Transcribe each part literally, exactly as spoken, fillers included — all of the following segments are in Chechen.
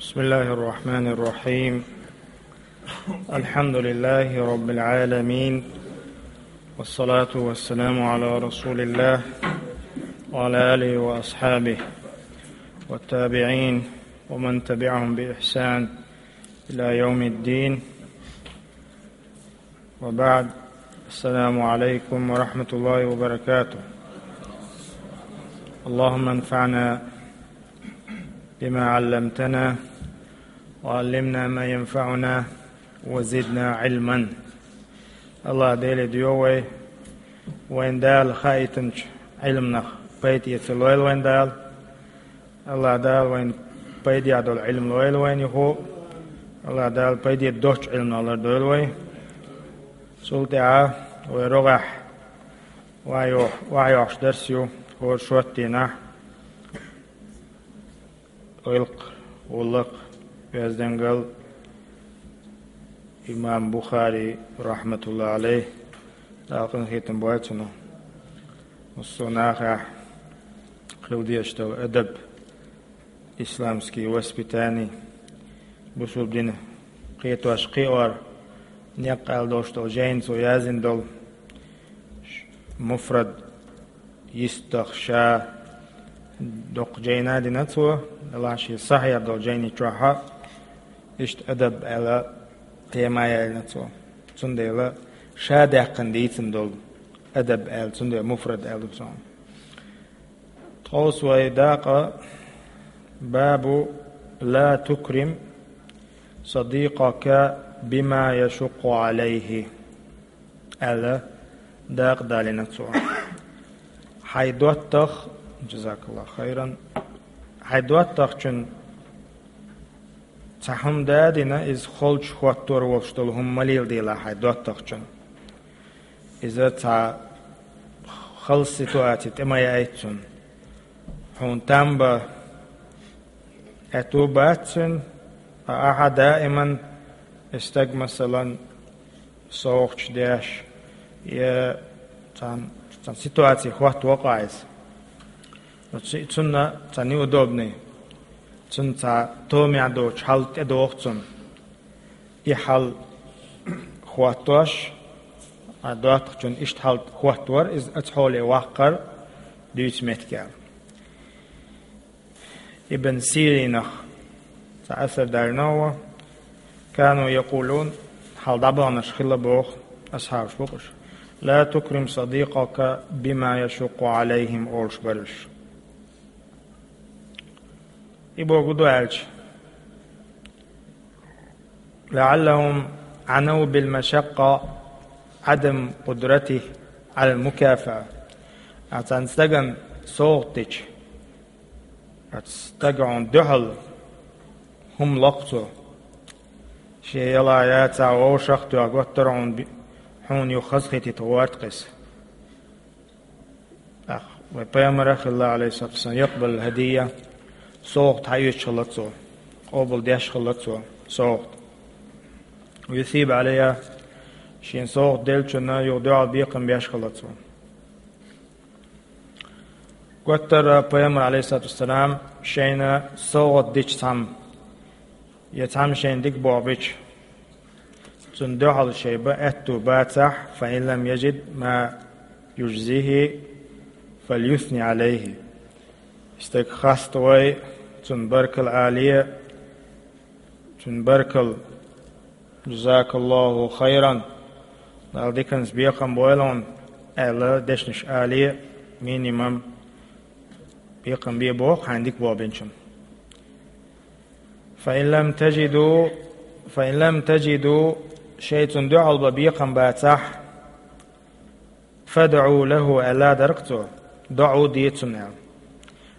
بسم الله الرحمن الرحيم. الحمد لله رب العالمين، والصلاة والسلام على رسول الله وعلى آله وأصحابه والتابعين ومن تبعهم بإحسان إلى يوم الدين، وبعد. السلام عليكم ورحمة الله وبركاته. اللهم انفعنا بما علمتنا، وعلمنا ما ينفعنا، وزدنا علما. АллахӀ Деле доьху вай, вайн Дала хаийтинчу Ӏилманах пайда эца лойла вайн Дала. АллахӀ Дала вайн пайдехь долу Ӏилма лойла вайна юху. АллахӀ Дала пайде доцчу Ӏилманах лардойла вай. Цул тӀаьхьа вай рогӀехь ваха йо-, ваха йоккхуш дарс ю хӀора шоттийнахь. Гӏуллакх, гӏуллакх, оьздангалла имам Бухари, рахматуллахи алейхи, Дала къинхетам бойла цунах. Массо а нахехь хила дезаш долу адаб, исламский воспитание, бусулба дин кхетош кхиор, некъ аьлла долуш долу жайна цо яздина долу муфрад, йистах ша доккха жайна дина цо, делахь шен сахьихь долу жайни чохь а иштта адаб аьлла тема яьллина цо. Цундела ша даьккхина дийцина долу адаб аьлла, цундела муфрад аьлла ду цунах. Тховса вай дакъа бабу ла тукрим садикъака бима яшукъу алейхи аьлла дакъа далийна цо. Хьайн доттагӀ, жазакаллаху хайран, хьайн доттагӀчун цхьа хӀума дадина, иза холчу хӀоттор волуш долу хӀума ма леладелахь хьайн доттагӀчун. Иза цхьа халс ситуаци тӀе ма яйта цунна. Хьуна там бан аьтту бац цуьнан, ткъа ахьа даиман и стаг, масалан, совгӀаташ деш, я цхьана, цхьана ситуаци хӀотта вокъа иза. Цу-, цунна цхьа неудобный, цунна цхьа томехь доцу хьал тӀедогӀу цунна. И хьал хӀоттош, а доттагӀчун иштта хьал хӀоттор, иза оцу хьоле ваккхар дуьйцу меттигехь. Ибн Сиринах цхьа асар дарна ву: «Кану якъулун», хьал дӀабаханарш хилла боху, асхьабаш бу-кх уьш: «Ла тукрим садикъака бима яшукъу алейхим», олуш бара уьш. И бохург ду аьлча: «ЛаӀаллахум Ӏанав бил машакъа Ӏадам къудратихи Ӏалал мукафаа». Ахьа цхьана стагана совгӀат дича, ахьа стага хьуна дуьхьал хӀума локху цо. Шен яла яцахь вовшах а тоьхна готтара хьуна би-, хьуна юха хазахетийта гӀорта кхиса. ТӀаккха вай пайхамара хилла, алейхиссалату вассалам, якъбал хӀадийя, совгӀат хьаоьцуш хилла цо, къобал деш хилла цо совгӀат. Ва юсибу алейха, шена совгӀат деллачунна юха дуьхьал бекхам беш хилла цо. Готтара пайхамар, алейхиссалату вассалам, шайна совгӀат дича цхьамма, я цхьамма шайна дика бохабича, цунна дуьхьал шайн бан аьтту бацахь, фа ин лам яжид ма южзихи, фальюсни алейхи. Стаг хаставой, цунна баркалла але, цунна баркалла, «Жазакаллаху хайран», Дала диканца бекхам бойла хьуна аьлла, дешнаш але, минимум бекхам бе боху хьайна дика бохабинчунна. «Фа ин лам тажиду, фа ин лам тажиду», шайн цунна дуьхьал бан бекхам бацахь, «фадӀу лаху», аьлла дара-кх цо, доӀа де цунна аьлла.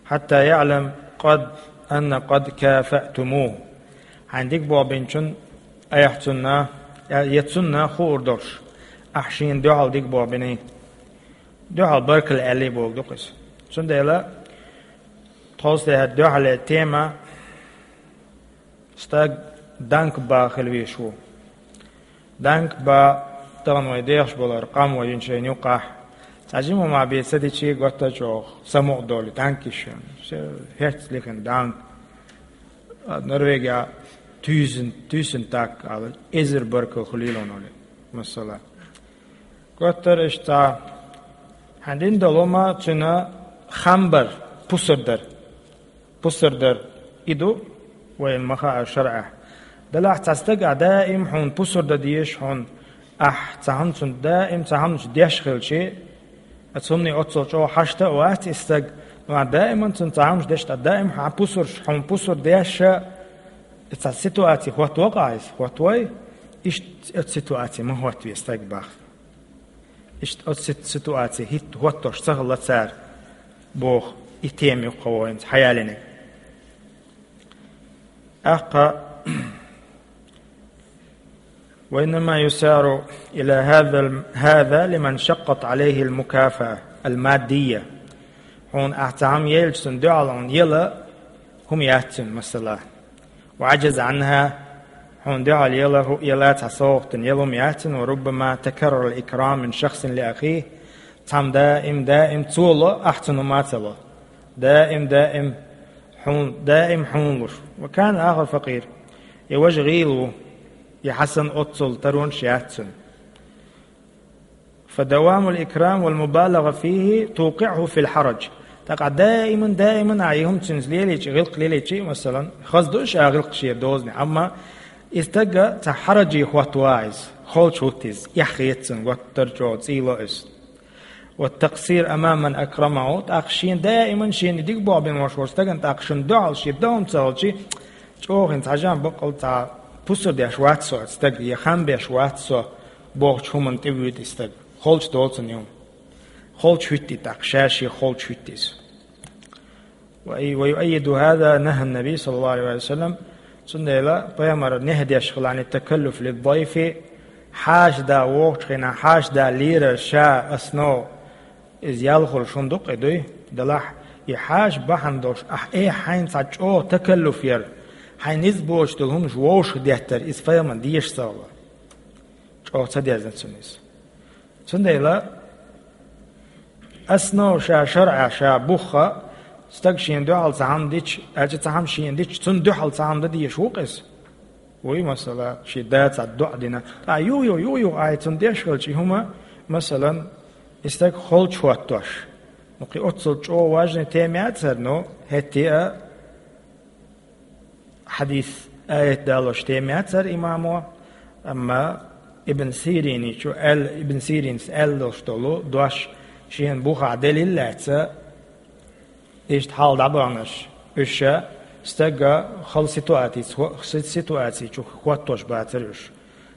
«Хьатта яӀлам къад, анна къад кафатумуху». Хьайна дика бохабинчунна, айхьа цунна, я цунна хуур долуш, ахьа шена дуьхьал дика бохабиний, дуьхьал баркалла аьллий бохург ду-кх иза. Цундела тховса тӀехь дуьхьале тема: стаг данк бан хила везаш ву. Данк бан тахана вай дехаш болар къам вай йина шайна юккъахь. Цхьа жима ма бен ца дичий, готта чӀогӀа самукъа долу данк йиш йолу. Все, хӀетта лихина данк. Норвегия туьйсанна, туьйсанна тӀаккха ала, эзар баркал хуьлийла хьуна, масала. Готтар иштта, хьан дин долу ма цуьнан хам бар, пусар дар. Пусар дар. И ду вайна ма хаъара шарӀехь. Делахь цхьа стаг а даим хьуна пусар дан дезаш хьуна, ахь цхьа хӀума цунна даим цхьа хӀуманаш деш хилчи, а цунна оццул чӀогӀа хьашта а вац и стаг, но ахь даиман цунна цхьа хӀуманаш деш, ткъа даим хьан пусарш, хьуна пусар деш а, и цхьа ситуаци хӀоттавакъа иза, хӀоттавой, иштта оцу ситуаци ма хӀоттаве стаг бах. Иштта оцу сит-, ситуаци хӀитта хӀоттош ца хилла цара, боху, и тема юккъе вайна хьаялийнарг. ТӀаккха: «وإنما يسارع إلى هذا ال-، هذا لمن شقت عليه المكافأة المادية». Хьуна ахь цхьа хӀума елча, цунна дуьхьал хьуна ела хӀума яц цунна, масала. «وعجز عنها», хьуна дуьхьал ела хӀу-, ела цхьа совгӀатана ела хӀума яц цунна, «وربما تكرر الإكرام من شخص لأخيه». Цхьамма даим, даим цо ло, ахь цунна хӀума ца ло. Даим, даим хьуна, даим хьуна луш. «وكان آخر فقير». Я важа гӀийла ву, я хьасан оццул таронаш яц цунна. «فدوام الإكرام والمبالغة فيه توقعه في الحرج». ТӀаккха даиман, даиман а и хӀума цуьнца лелийча, гӀиллакх лелийча, масалан, хаза ду ша гӀиллакх шен дозане, амма и стаг цхьа хьараджи хӀоттавац иза, холча хӀутту иза, эхь хета цунна, готтар чӀогӀа цӀийло иза. «والتقصير أمام من أكرمه», тӀаккха шена даиман шена дика боху бина волуш волчу стагана тӀаккха шуна дуьхьал шен дан хӀума ца хилчи, чӀогӀа хӀинца хьажа баккъал цхьа пусар деш вац со оцу стага, я хам беш вац со бохучу хӀуманна тӀе вуьйту и стаг. Холча долу цунна и хӀума. Холча хӀуьтту и тӀаккха, ша шен холча хӀуьтту иза. «ويؤيد هذا نهي النبي صلى الله عليه وسلم». Цундела пайхамар нехь деш хилла: «عن التكلف للضيف». Хьаша да вогӀучу хенахь, хьаша да лийрар ша, основа, иза ял хуьлуш хӀума ду-кх и, дуй? Делахь, и хьаша бахьана долуш, ахь, э, хьайна цхьа чӀогӀа такаллуф яр, хьайн низ боцуш долу хӀуманаш вовшах деттар, иза пайхамарна дезаш ца хилла. ЧӀогӀа ца дезна цунна иза. Цундела основа ша шарӀа, ша бухха, стаг шена дуьхьал цхьа хӀума дича, аьлча цхьа хӀума шена дича, цунна дуьхьал цхьа хӀума дан дезаш ву-кх иза. Вуй, масала, шен да цхьа доӀа дина. Ткъа юха-юха, юха-юха ахь цунна деш хилча и хӀума, масалан, и стаг холча хӀоттош. Ну, кхин оццул чӀогӀа важный тема яцара, ну, хӀетте а хьадис, аят далош тема яцара имамо, амма Ибн Сириничу аьл-, Ибн Сиринас аьлла долуш долу дош шена бухахь делил лаьцна, иштта хьал дӀабахнарш, уьш ша стага хала ситуаци-, хо-, си-, ситуаци чу хӀоттош бацара уьш.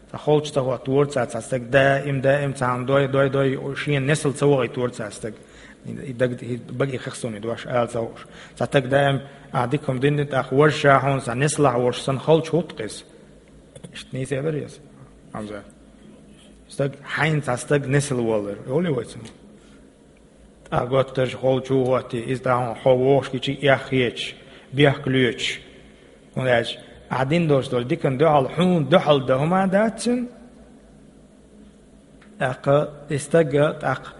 Цхьа холча ца хӀоттора цара цхьа стаг, даим, даим цхьа хӀума дой, дой, дой, шена несал ца вахийтора цара стаг. И даг, и бага и хих суна и дош ала ца хууш. Цхьа стаг даим, а, дика хӀума дина, тӀаккха важа ша хьуна цхьа несалахь волуш санна холча хӀутту-кх иза. Иштта нийса яра иза, Хьамза? Стаг, хьайна цхьа стаг несал воллар, олий вай цунна? ТӀаккха готтарш холча хӀоттий, иза тӀаккха хьо вогӀуш гича эхь хеташ, бехк лоьцуш. ХӀунда аьлча ахь дина долуш долу диканна дуьхьал, хьуна дуьхьал дан хӀума дац цуьнан. ТӀаккха и стаг а, тӀаккха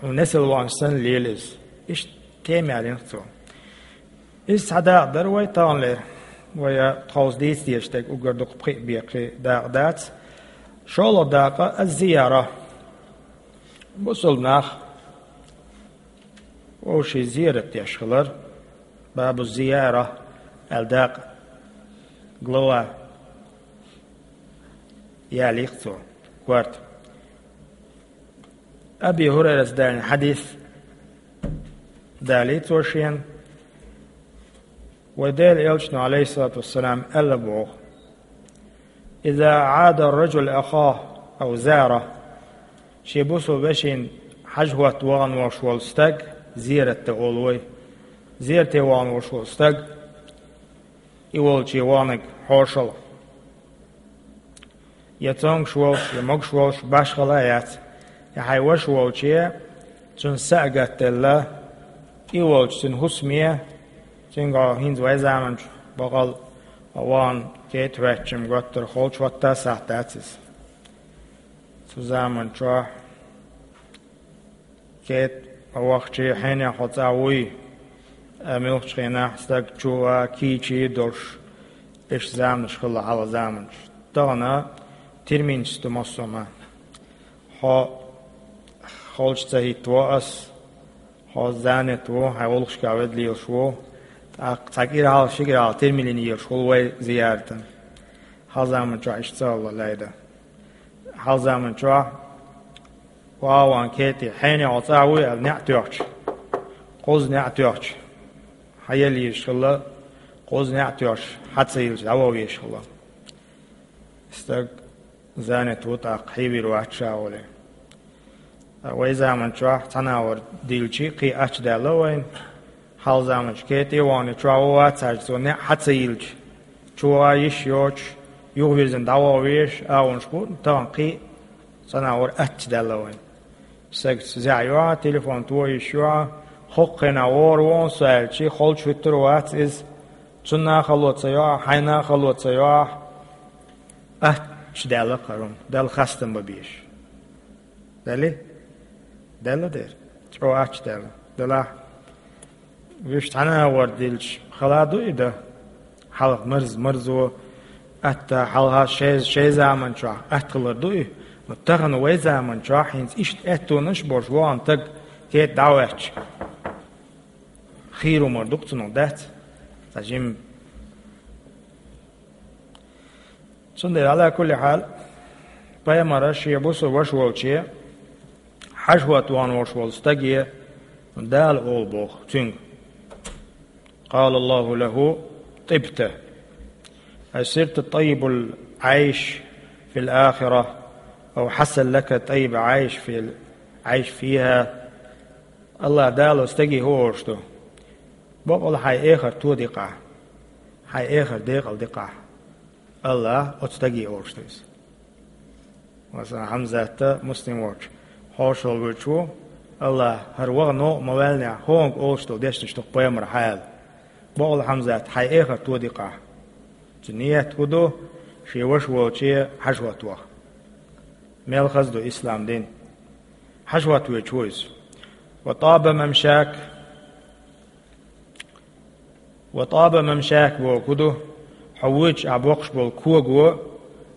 хьуна несал ваханча санна лела иза. Иштта тема ялийна-кх цо. Иза цхьа дакъа дара вай таханлера. Вай а тховса дийца дезаш дерг уггар дукха пхиъ бен кхин дакъа дац. ШолгӀа дакъа аз-зияра. Бусалба нах вовшийн зиярат деш хилар, бабу зияра аьлла дакъа, глава ялийна-кх цо, корта. Аби ХӀурайрас далийна хьадис далийна цо шена, вай Делан Элчано, Ӏалайхиссалату вассалам, аьлла боху: «إذا عاد الرجل أخاه أو زاره». Шен бусалба вешина хьажа хӀотта вахана волуш волу стаг, зиярат дан олу вай, зиярате вахана волуш волу стаг, и волче ваханарг хьошалгӀа. Я цомгуш волуш, я могуш волуш, башхала а яц. Я хьайн ваша волче, цуьнан са а гатделла, и волчу цуьнан хӀусаме, цуьнгахь хӀинца вай заманчу бакъал вахана кхета хӀоьттича-м готтар холча хӀотта сахьт дац иза. Цу заманчохь кхета вахча хьенех хьо цӀа вуй, А муьлххачу хенахь стаг чу а, кийча а долуш, иштта заманаш хилла хьалха заманчохь. Тахана терминаш ду массо а. Хьо холчу ца хӀиттаво ас, хьо занят ву, хьайн гӀуллакхашкахь ведда лелаш ву, тӀаккха цхьа кӀира хьалха, ши кӀира хьалха термин лелаш хуьлу вай зияратана. Хьалха заманчохь иштта ца хилла лайда. Хьалха заманчохь ван-ван кетӀе, хьенехь хьо цӀахь вуй аьлла, неӀ тоьхча, кхузза неӀ тоьхча, хьаелла езаш хилла, кхузза неӀ тоьхча, хьа ца йиллича, дӀаваха везаш хилла. Стаг занят ву, тӀаккха хьевийр вац ша олий. Вай заманчохь цхьа нахана дилча, кхин аттачу даьлла вайна. Хьалха заманчохь кетӀе а вахана, чохь ван вац хьажа, цо неӀ хьа ца йиллича, чу а йиш йоцуш, юхавирзина дӀаваха везаш, агӀонаш бу, тахана кхин а цхьа нахана аттачу даьлла вайна. Стагаца зӀе йохьа, телефон тоха йиш йохьа, хӀокху хенахь вогӀур ву со аьлча, холчу хӀуьттур а вац иза, цунна а хало ца йохьа, хьайна а хало ца йохьа, аттачу даьлла кхарум, Далла хастам бан безаш. Далли? Даьлла дера. ЧӀогӀа аттачу даьлла. Делахь, вуьш цхьана а вар дилча, хала ду и дан? Хьалха марз-, марзо атта, хьалха шай, шай заманчохь атта хилар ду и? Но тахана вай заманчохь хӀинца иштта аьттонаш а болуш вахана стаг кетӀе дӀа а ваьттича, хийра хӀумар ду-кх цунах, дац? Цхьа жимма. Цундела, Ӏала кулли хьал, пайхамара шен бусалба ваша волче, хьажа хӀотта вахана волуш волу стаге Дала олу боху цуьнга: «Къала Аллаху лаху: тӀибта, ай сирта тӀаййибул Ӏайш фил ахира, ау хьасал лака тӀаййиб Ӏайш фил Ӏайш фиха». Аллах Дала стаге хӀун олуш ду? Бакъалла хьайн эхарт тоди-кх ахь, хьайн эхарт декъала ди-кх ахь. Аллах оцу стаге олуш ду иза. Масала, Хьамзат а, Муслим волчу, хьошалгӀа вуьйцуш ву, Аллах, хӀара ваха новкъа ма ваьллинехь, хӀокхунга олуш долу дешнаш ду-кх пайхамара хьан аьлла. Бакъалла, Хьамзат, хьайн эхарт тоди-кх ахь. Цуьнан ният хӀун ду? Шен ваша волче хьажа хӀотта ваха. Мел хаза ду ислам дин. Хьажа хӀотта воьдуш ву иза. «Ва тӀаба мамшак». «Ва тӀаба мамшак» бохург хӀун ду? Хьо вуьйцуш ахь боккхуш болу кого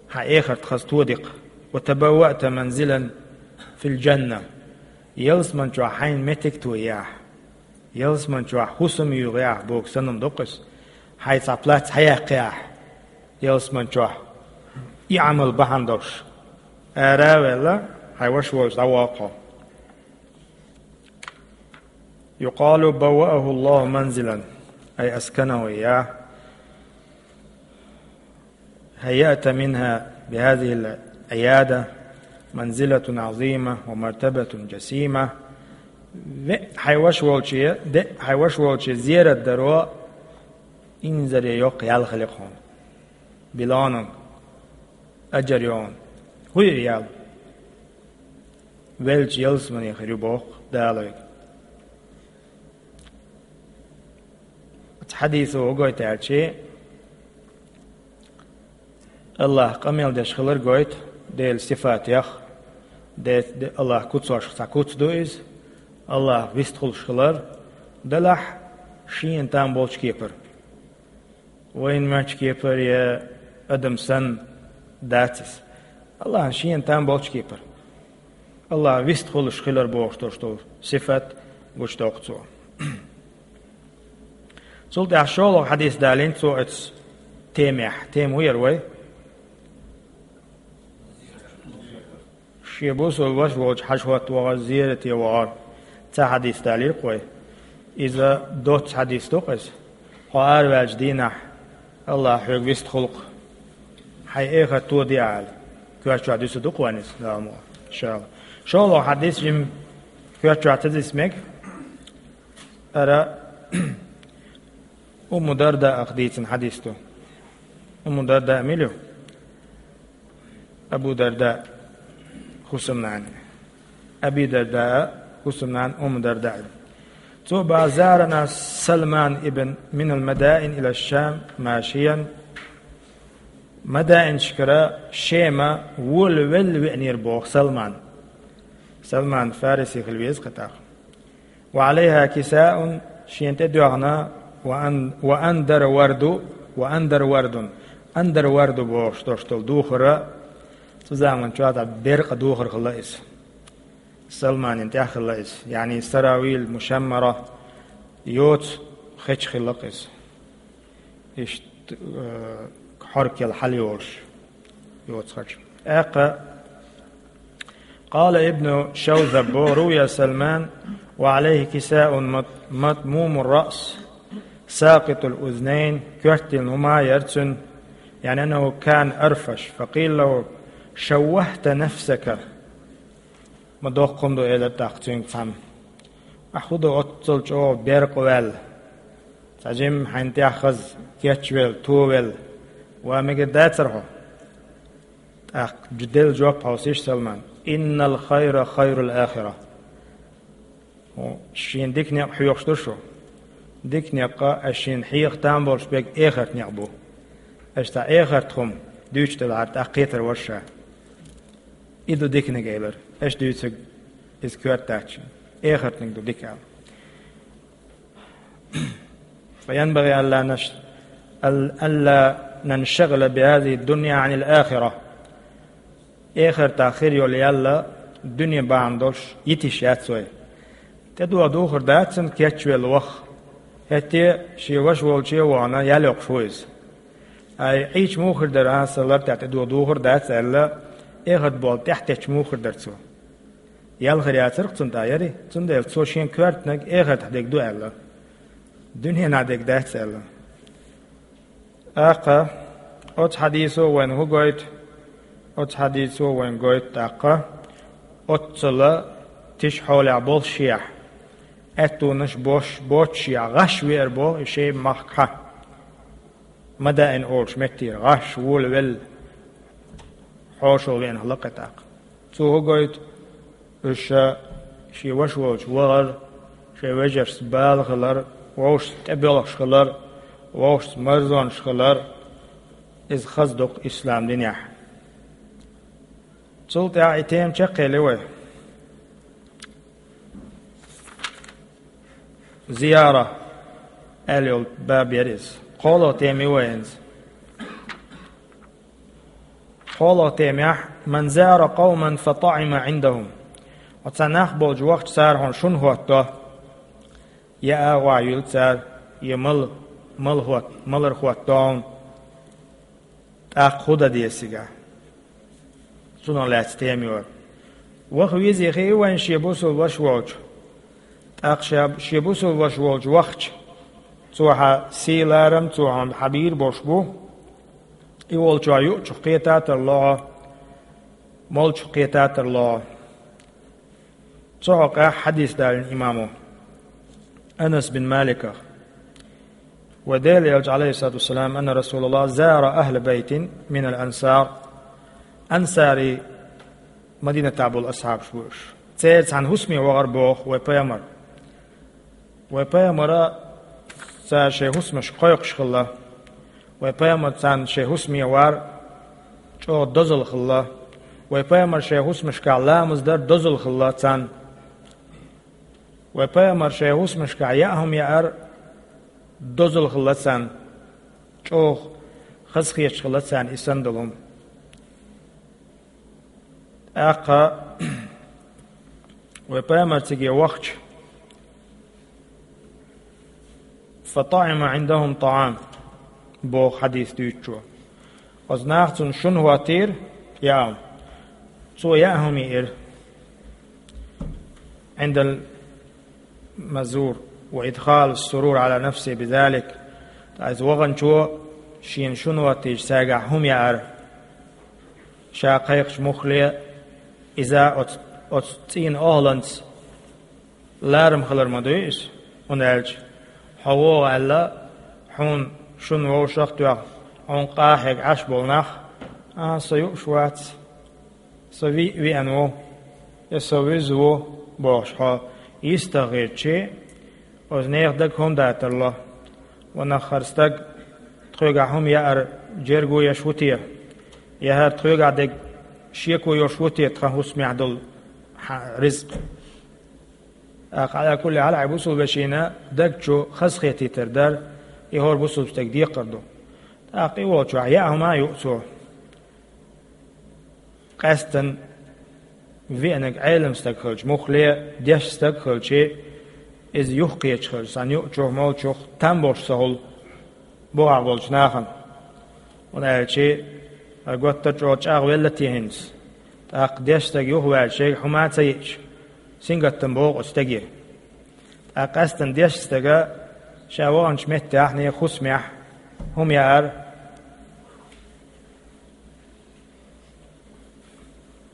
хьан эхарт хаза тоди-кх. «Ва табавваъта манзилан фил жанна». Ялсамани чохь хьайна меттиг а тоьхна ахь, ялсамани чохь хӀусам а юьйхина ахь бохург санна ду-кх иза. Хьайн цхьа плац хьаяккхина ахь ялсамани чохь, и Ӏамал бахьана долуш. Ара а ваьлла, хьайн ваша волчу дӀавоьду хьо. «Юкъалу баввааху Аллаху манзилан, ай асканаху ихьа. Хайяъта минха бихазихил Ӏияда манзилатун Ӏазима ва мартабатун жасима». Веа хьайн ваша волче, деа хьайн ваша волче зерат даро инзаре йоккха ял хили-кх хьуна. Билонан аджар йогӀун. ХӀун ю и ял? Веллачу ялсамане хир ю боху Дала вайга. Оцу хьадисо хӀун гойту аьлча, Аллах къамел деш хилар гойту, Делан сифатех, де, де, Аллах куцошх цхьа куц ду иза, Аллах вистхуьлуш хилар, делахь шена там болчу кепара. Вайна моьттучу кепара я адам санна дац иза. Аллахьан шена там болчу кепара. Аллах вистхуьлуш хилар бохуш долуш долу сифат гучудоккху цо. Цул тӀаьхьа шолгӀа хьадис далийна цо оцу темехь. Тема хӀун яра вай? Шен бусалба ваша волчу хьажа хӀотта вахар, зерате вахар. Цхьа хьадис далийра-кх вай. Иза доцца хьадис ду-кх иза. Хьо араваьллачу дийнахь Аллах хьоьга вистхуьлу-кх. Хьайн эхарт тоди ахь аьлла. Коьрта чохь дуьсур ду-кх вайна иза, Дала мукъ лахь, иншаАллах. ШолгӀа хьадис жимма коьрта чохь ца дисса мега. Ара Умму Дардаах дийцина хьадис ду. Умму Дарда мила ю? Абу Дарда хӀусамнана. Аби Дарда хӀусамнана Умму Дарда. Цо боху: «Зарана Салман ибн минал Мадаин ила Шам машиян». Мадаинашкара Шема волавелла веанера боху Салман. Салман Фариси хила веза-кх тӀаккха. «Ва Ӏалайха кисаун Шена тӀедоьгӀна: «Ва ан-, ва андара варду, ва андара вардун». Андара варду бохуш долуш долу духар, цу заман чохь дӀа беркъа духар хилла иза. Салманин тӀехь хилла иза. Яъни саравил мушаммара, йоцу хеча хилла иза. Иштта, э, хьоркел хьал йолуш йоцу хеча. ТӀаккха къала Ибну Шавзаб: «Руя Салман ва алейхи кисаун мат-, матмумур раъс, сакъитул узнайн», коьртан хӀума яра цуьнан, яъни аннаху кана арфаш, факъила лаху: «Шаввахта нафсака». Ма доккха хӀума ду, элира тӀаккха цуьнга цхьамма. Ахь хӀун ду оццул чӀогӀа беркъа ваьлла? Цхьа жимма хьайна тӀехь хаза, кечвелла, товелла, ван мегар дацара хьо? ТӀаккха делла жоп хьовсийша, Салман: «Иннал хайра хайрул ахира». ХӀун, шена дика некъ хьоьхуш ду шу? Дика некъ, аш шена хьеха там болуш берг эхарт некъ бу. Аш цхьа эхарт хӀума дуьйцуш делахьара, тӀаккха кхетар вара ша. И ду диканиг, элира. Аш дуьйцург иза коьрта дац шена. Эхартниг ду дика аьлла. فينبغي ألا نش-، أل-، ألا ننشغل بهذه الدنيا عن الآخرة. Эхартах хир йолу ял дуьне бахьана долуш йитийша яц вай. ТӀедуха духар дац цуьнан кечвелла ваха. ХӀетте а шен ваша волче а вахана, ял йоккхуш ву иза. Ай, Ӏийча муха хир дара, а, сан лар тӀехь тӀедуха духар дац аьлла, эхарт болу тӀаьхьатетташ муха хир дара цо? Ял хир яцара-кх цунна тӀехь, яри? Цундела цо шен коьртаниг эхартахь дерг ду аьлла. Дуьненахь дерг дац аьлла. ТӀаккха оцу хьадисо вайна хӀун гойту? Оцу хьадисо вайна гойту тӀаккха, оццула тиша хьолехь болуш шехь, аьттонаш бош, боцуш шехь, гӀаш веара боху и Шайба-махкахьа. Мадаин олуш меттера гӀаш волавелла, хьошалгӀа веана хилла-кх тӀаккха. Цо хӀун гойту? Уьш шен ваша волчу вахар, шайн вежаршца бала хилар, вовшашца тӀебоьлхуш хилар, вовшашца марзонаш хилар, иза хаза ду-кх ислам динехь. Цул тӀаьхьа и тема чекхъели вай. Зияра аьлла йолу баб яра иза. КхоалгӀа тема ю вайн иза. КхоалгӀа темехь: «Ман зара къавман фа таӀима Ӏиндахум». Оцу нах болчу вахча цара хьуна шуна хӀоттадо, я агӀо юьллу цара, я мал, мал хӀот-, малар хӀоттадо хьуна, тӀаккха хӀун дан деза цигахь? Цунах лаьцна тема ю хӀара. Ваха везий хии вайн шен бусулба ваша волчу. ТӀаккха ша-, шен бусулба ваша волчу вахча, цо хьан сий-ларам, цо хьуна хьан бийр болуш бу, и волчохь юучух кхета а тарло хьо, молчух кхета а тарло хьо. Цу хьокъехь хьадис далийна имамо Анас бин Маликах. Вайн Делан Элча, алейхиссалату вассалам, анна Расулаллах зара ахла байтин минал ансар. Ансари Мадинатахь болу асхьабаш бу уьш. Церан цхьана хӀусаме вахара боху вайн пайхамар. Вайн пайхамара цара шайн хӀусамашка кхойкхуш хилла. Вайн пайхамар царна шайн хӀусаме вар чӀогӀа дозалла хилла. Вайн пайхамар шайн хӀусамашкахь ламаз дар дозалла хилла царна. Вайн пайхамар шайн хӀусамашкахь яа хӀума яар дозалла хилла царна. ЧӀогӀа хаза хеташ хилла царна и санна долу хӀума. ТӀаккха вайн пайхамар циге вахча, «фа таӀима Ӏиндахум таӀам», боху хьадис дуьйцучо. Оцу наха цунна шуна хӀоттийра яа хӀума. Цо яа хӀума йиира. Ӏиндал мазур ва идхал сурур Ӏала нафси бизалик. Ткъа иза ваханчо шена шуна хӀоттийча цаьргахь хӀума яар. Ша кхайкхачу муххале иза оцу, оцу цӀийнан охӀланца ларам хилар ма дуй иза, хӀунда аьлча хьо вогӀу аьлла, хьуна шуна вовшах а тоьхна, хьуна къахьега Ӏаш болу нах: «А, со юуш вац, со виъ веана ву, я со вуьззина ву», – бохуш хьо йистах хетчи, оцу нехан дага хӀунда а тарло? Ванах, хӀара стаг тхоьгахь хӀума яар джерго еш ву те? Я хӀара тхоьгахь дерг шеко йолуш ву те тхан хӀусамехь долу хьан ризкъ? ТӀаккха, Ӏала кулли хьал, хьай бусулба вешина даг чу хазахетийтар дар, и хӀора бусулба стеган декхар ду. ТӀаккха и волчохь яа хӀума а юу цо. Къаьстина веанарг Ӏелам стаг хилча, муххале дешна стаг хилча, иза юхакхеташ хилча, цхьана юучух, молчух там болуш ца хуьлу бухахь болчу нахана. ХӀунда аьлча, хӀара гуттар а чӀогӀа чӀагӀвелла те хӀинца. ТӀаккха дешна стаг юхаваьлча, шега хӀума а ца йиъча, сингаттам богӀу оцу стеге. ТӀаккха къаьстина дешначу стага ша ваханчу меттехь, нехан хӀусамехь хӀума яар,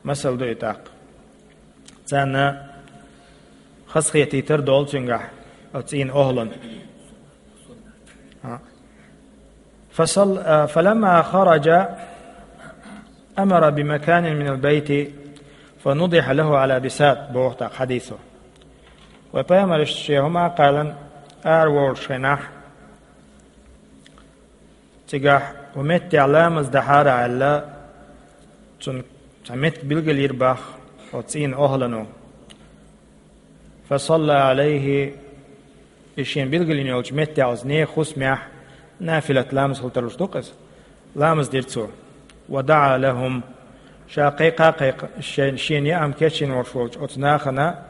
масал ду и тӀаккха. Царна хазахетийтар долу цуьнгахь оцу цӀийнан охӀлан. فصل-، فلما خرج أمر بمكان من البيت فنضح له على بساط, боху тӀаккха хьадисо. Вайн Пайхамара шен хӀума а кхаьллина, ара волуш хенахь, цигахь ву меттехь ламаз дахьара аьлла, цунна цхьа меттиг билгалйира боху оцу цӀийнан охӀлано. فصلى عليه, и шена билгалйина йолчу меттехь, оцу нехан хӀусамехь, нафилат ламаз хила тарлуш ду-кх иза, ламаз дира цо. ودعا لهم, ша кхайкха а кхайкха-, шен-, шена яа хӀума кечйина волуш волчу оцу нахана,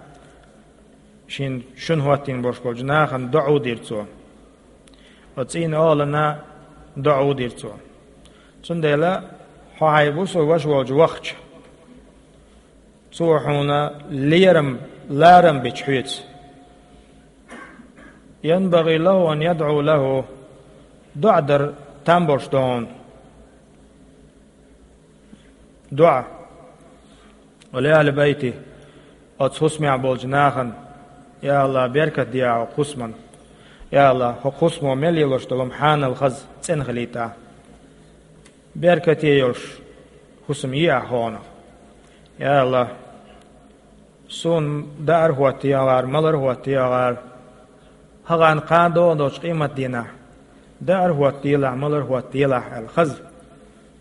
шен-, шуна хӀоттийна болуш болчу нахана доӀа а дира цо. Оцу цӀийнан охӀлана доӀа а дира цо. Цундела хьо хьайн бусулба ваша волчу вахча, цо хьуна лерам, ларам бича хьоьца, ينبغي له أن يدعو له, доӀа дар там болуш ду хьуна. ДоӀа. ولأهل بيته, оцу хӀусамехь болчу нахана: «Я АллахӀ, беркат де Ахь хӀокху хӀусамна. Я АллахӀ, хӀокху хӀусамо мел лелош долу хӀума хьанал, хаза, цӀена хилийта Ахь. Беркате йолуш хӀусам е Ахь хьуна. Я АллахӀ, суна даар а хӀоттае АллахӀ, малар а хӀоттае АллахӀ, хӀокху кхана догӀун долчу къематдийнахь даар а хӀоттаделахь, малар а хӀоттаделахь», аьлла, хаза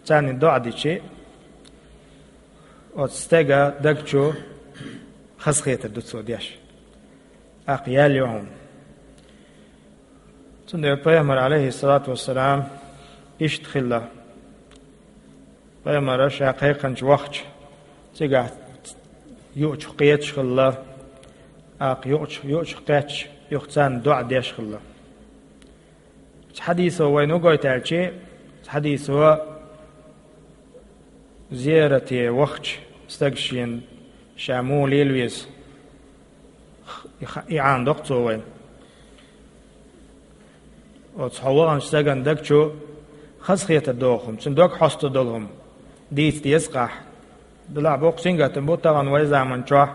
царна доӀа дича, оцу стеган даг чу хазахетар ду цо деш. ТӀаккха ял ю хьуна. Цундела Пайхамар, Ӏалайхиссалату вассалам, иштта хилла. Пайхамара ша кхайкхинчу вахча, цигахь юучух кхеташ хилла, тӀаккха юучух, юучух кхетча, юха царна доӀа деш хилла. Цу хьадисо вайна хӀун гойту аьлча, цу хьадисо зиярате вахча стаг шена ша муха лела веза, и ха-, и Ӏамадо-кх цо вайна. Оцу хьо ваханчу стеган даг чу хазахетар доху хӀума, цуьнан дог хьоста долу хӀума дийца деза-кх ахь. Делахь боккха сингаттам бу тахана вайн заман чохь,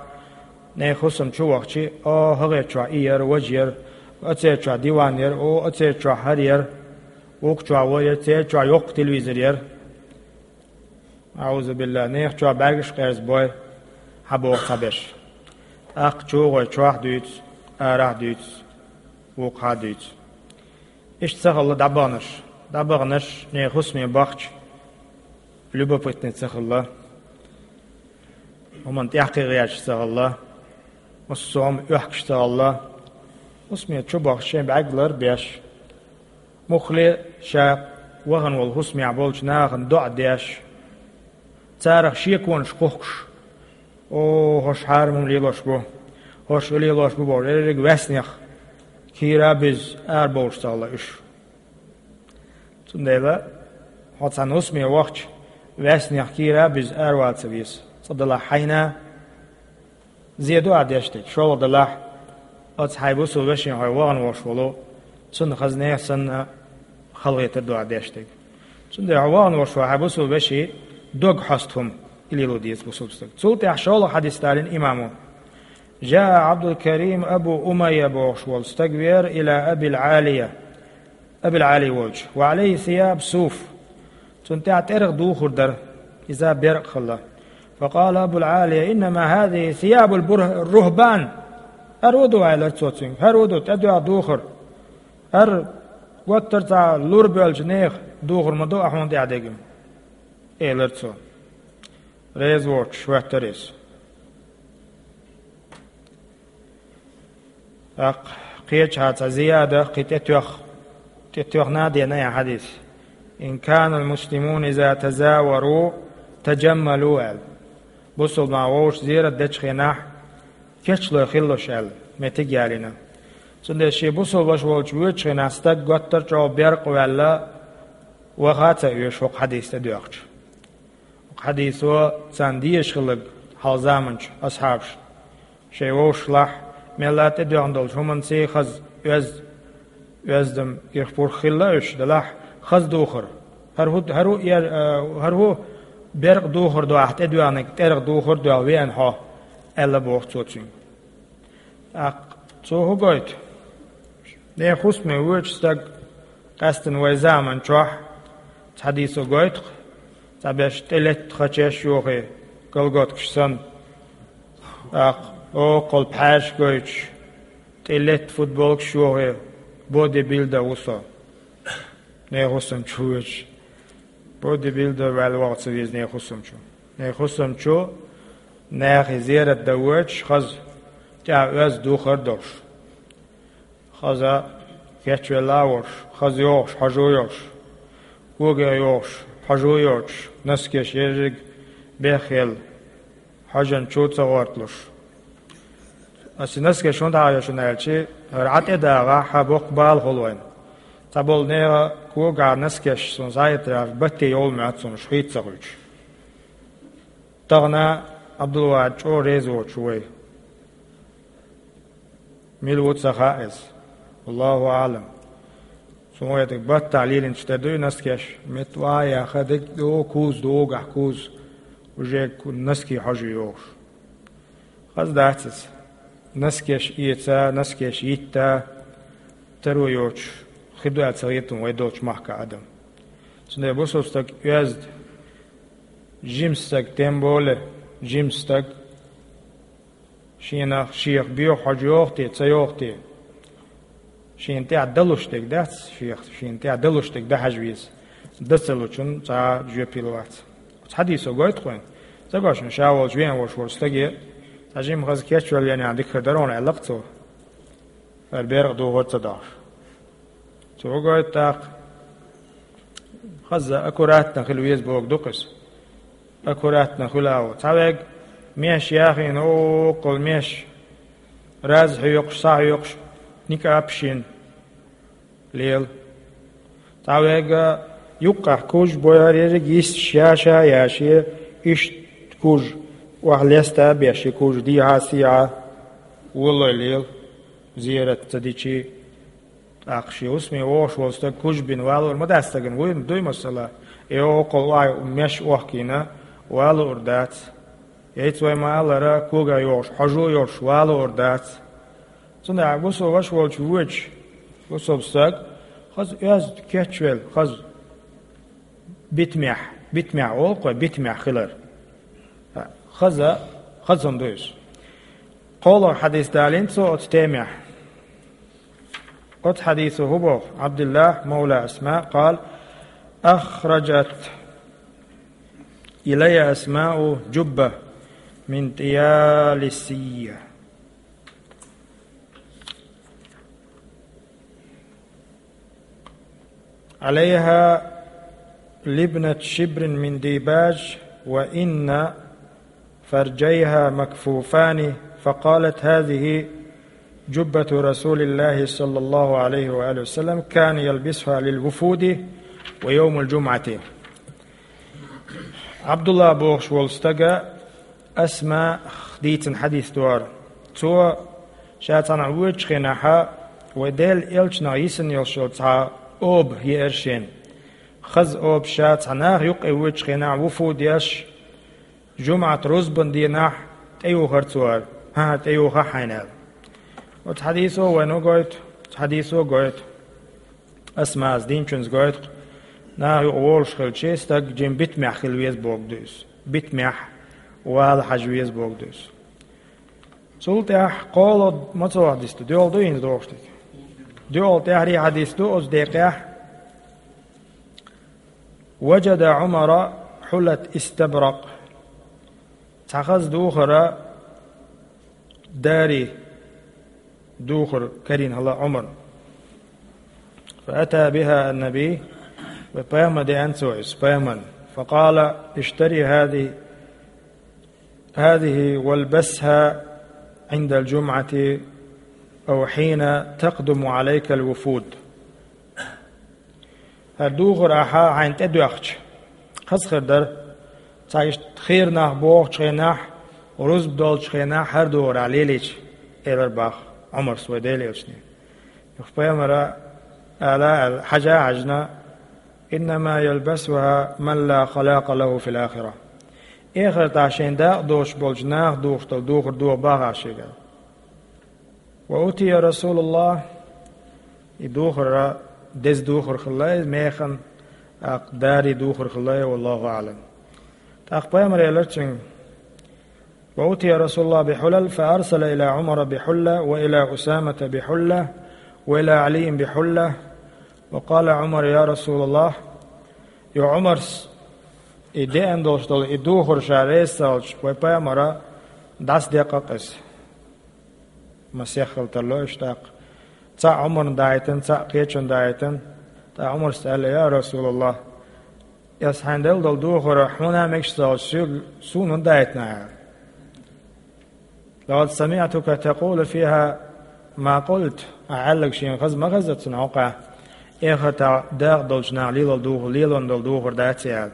нехан хӀусам чу вахча: «О, хӀокхерчохь и яра, важа яра, оцерчохь диван яра, о, оцерчохь хӀара яра, вукху чохь вара яра, церан чохь йоккха телевизор яра». АӀузубиллахӀ, нехан чохь бӀаьргаш а къерзабой, хьан боху цхьаберш. ТӀаккха чӀогӀа чохь а дуьйцу, арахь а дуьйцу, вукху хьа а дуьйцу. Иштта ца хилла дӀабаханарш. ДӀабаханарш нехан хӀусаме бахча, любопытный ца хилла, хӀуманна тӀаьхьакхин гӀерташ ца хилла, массо а хӀума оьхкуш ца хилла, хӀусаме чу бахча шайн бӀаьрг лар а беш, муххале ша вахана волу хӀусамехь болчу нахана доӀа деш, царах шеконаш кхухкуш: «О, хӀорш хьарам хӀума лелош бу, хӀорш и лелош бу», – бохуш, ерриг ваьснех кийра а буьзна, арабовлуш ца хилла уьш. Цундела хьо цхьана хӀусаме вахча, ваьснех кийра а буьзна, аравала ца веза. Цкъа делахь хьайна зен ду ахь деш дерг, шолгӀа делахь, оцу хьайн бусулба вешина хьо вахана волуш волу, цунна хаза нехан санна халахетар ду ахь деш дерг. Цундела хьо вахана волуш волу хьайн бусулба вешин дог хьоста хӀума, и лело деза бусулба стага. Цул тӀаьхьа шолгӀа хьадис далийна имамо: «جاء عبد الكريم أبو أمية», – бохуш волу стаг веара, «إلى أبي العالية», Абил-Ӏали волчу, «وعليه ثياب صوف». Цунна тӀехь тӀерах духар дара, иза беркъа хилла. «فقال أبو العالية: إنما هذه ثياب البر-، الرهبان». «ХӀара ву ду, – аьллера цо цуьнга, – хӀара ву ду, тӀедоьгӀна духар. ХӀара гуттар а цхьа лур боьлчу нехан духар ма ду ахь хьуна тӀехь дегна», – элира цо. Реза воцуш хӀоьттира иза. ТӀаккха кхечахьа цхьа зияда, кхин тӀетоьх-, тӀетоьхна а деана яха хьадис. «إن كان المسلمون إذا تزاوروا تجملوا», аьлла. Бусулба нах вовшашца зерат дечу хенахь, кечлой хилалаш аьлла, меттиг ялийна. Цундела шен бусулба ваша волчу воьдучу хенахь стаг готтар чӀогӀа беркъа ваьлла, ваха а ца оьшу хӀокху хьадис тӀедоьхча. Хьадисо царна дезаш хилларг хьалха заманчу асхьабашна. Шайн вовшашлахь, мелла а тӀедоьхна долчу хӀуманца хаза оьз-, оьздам ирх-пурх хилла уьш, делахь хаза духар. ХӀара хӀу, хӀара хӀу эр-, а, хӀара хӀу беркъа духар ду ахь тӀедоьхнарг, тӀерах духар а доьхна веана хьо, аьлла боху цо цуьнга. ТӀаккха цо хӀун гойту? Нехан хӀусаме воьдуш стаг, къаьсттина вай заман чохь, цхьа хьадисо гойту-кх, цхьаберш тӀелетта хачеш йохий, колготкаш санна. ТӀаккха оккхул пхьаьрш гойтуш, тӀелетта футболкаш йохий, бодибилдер ву со. Нехан хӀусам чу воьдуш. Бодибилдер ваьлла ваха ца веза нехан хӀусам чу. Нехан хӀусам чу нахе зерат дан воьдуш, хаза тӀехь оьзда духар а долуш. Хаза кечвелла а волуш, хаза йогӀуш, хьожа а йолуш, когех йогӀуш, хьожа а йоцуш, носкеш ерриг бехъелла, хьожанчу а ца гӀорталуш. Аса и носкеш хӀунда хьахайо шуна аьлча, хӀара Ӏа тӀедагӀахь, хьан боккха бала хуьлу вайна. Цхьаболу нехан когахь носкеш суна схьахетарехь, батте йовла моьтту суна уьш хийца ца хуьлуш. Тахана Ӏабдулвахьид чӀогӀа реза воцуш ву вай. Мила ву ца хаьа иза. Аллаху аӀлам. Суна вай дерг баттахь лелийначу тӀе дуй носкеш, метта ван а яха, дерг а ду, куза ду, угахь куза. Уже ку-, носки хьожа йогӀуш. Хаза дац иза. Носкеш эца, носкеш йитта, таро йоцуш хир ду аьлла ца хета вай долчу махкахь адам. Цундела бусулба стаг оьзда, жима стаг, тем более жима стаг, шена шех боьха хьожа йогӀу те, ца йогӀу те? Шена тӀехь далуш дерг дац, шех, шена тӀехь далуш дерг дан хьажа веза. Дан ца лучун цхьа а жоьпалла вац. Оцу хьадисо гойту-кх вайна. Ца го шуна, ша волчу веана волуш волу стаге цхьа жима хаза кечвелла веана дика хир дара хьуна аьлла-кх цо. ХӀара беркъа духар ца дохьуш. Цо гойту тӀаккха. Хаза аккуратно хила веза бохург ду-кх иза. Аккуратно хуьлу ву. Цхьа верг меш яхийна, оккхул меш, раз хьоькхуш, схьахьоькхуш, никъаб шина лела. Цхьа верг юккъехь куж бу, хӀара ерриг йисташ яша а яший, иштта куж охьа леста а беш, и куж дехьа а, сехьа а, валлой лела, зерат ца дичий. ТӀаккха шен хӀусаме вогӀуш волу стаг куж бина валор ма дац стагана, вуй, дуй масала, и оккхул охьа меш охкийна валор дац. Яйца вай ма-аллара, когех йогӀуш, хьожа а йолуш валор дац. Цундела бусулба ваша волчу воьдуш, бусулба стаг, хаза оьзда кечвелла, хаза битамехь, битамехь олу-кх вай, битамехь хилар. Хаза, хаза хӀума ду иза. КхоалгӀа хьадис далийна цо оцу темехь. Оцу хьадисо хӀун боху? عبد الله مولى أسماء قال: أخرجت إلي أسماء جبة من طيالسية عليها لبنة شبر من ديباج، وإن فرجيها مكفوفان، فقالت: هذه جبة رسول الله صلى الله عليه وآله وسلم، كان يلبسها للوفود ويوم الجمعة. Абдулла бохуш волу стага Асмаъ дийцина хьадис ду хӀара. Цо ша цхьаьна воьдучу хенахь, вай Делан элчанах йисина йолуш йолу цхьа оба еара шена. Хаза оба ша цхьа наха юккъе воьдучу хенахь, вуфуд еш, жумӀат рузбан дийнахь тӀеюхара цо хӀара. ХӀан-хӀа, тӀеюхахь хьайна аьлла. Оцу хьадисо вайна гойту, оцу хьадисо гойту. Асмаъс динчуьнца гойту-кх, наха юкъа волуш хилча, стаг жима битамехь хила веза бохург ду иза. Битамехь вала хьажа веза бохург ду иза. Цул тӀаьхьа кхоалгӀа ма ца вахь дисту, доьалгӀа ду хӀинца дохуш дерг. ДоьалгӀа тӀаьхьарий хьадис ду оцу декъехь: وجد عمر حلة استبرق. Цхьа хаза духар дарий, духар карийна хилла Ӏумар. فأتى بها النبي, вай пайхамар деана цо иза, пайхамар. فقال: اشتري هذه، هذه والبسها عند الجمعة أو حين تقدم عليك الوفود. ХӀара духар ахьа хьайна тӀедоьхча, хаза хир дара, цхьа иштта хийра нах бохучу хенахь, рузба долчу хенахь хӀара духар ахьа лелийча, элира боху Ӏумарс вай Делан элчане. Юха пайхамара ала аьлла, хьажа а хьаьжна: إنما يلبسها من لا خلاق له في الآخرة. Эхартахь шайн дакъа доцуш болчу наха духуш долу духар доху боху ахьа шега. وأتي رسول الله, и духар деза духар хилла, механа, тӀаккха дарий духар хилла, والله أعلم. ТӀаккха пайхамара элира цуьнга: وأتي رسول الله بحلل فأرسل إلى عمر بحلة وإلى أسامة بحلة وإلى علي بحلة وقال عمر: يا رسول الله. Юха Ӏумарс и деана долуш долу и духар ша реза ца хилча, вай пайхамара дӀасадекъна иза. Масех хила тарло уьш тӀаккха. Цхьаъ Ӏумарна даийтина, цхьаъ кхечунна даийтина. ТӀаккха Ӏумарс аьлла: يا رسول الله, аса хьайна делла долу духар хьуна мегаш ца хилча, суна хӀунда даийтина ахьа? لقد سمعتك تقول فيها ما قلت. Ахьа аьлларг шена хаза ма хеза цунна хьокъехь, эхартахь дакъа долчу наха лело духар, лело долу духар дац и аьлла.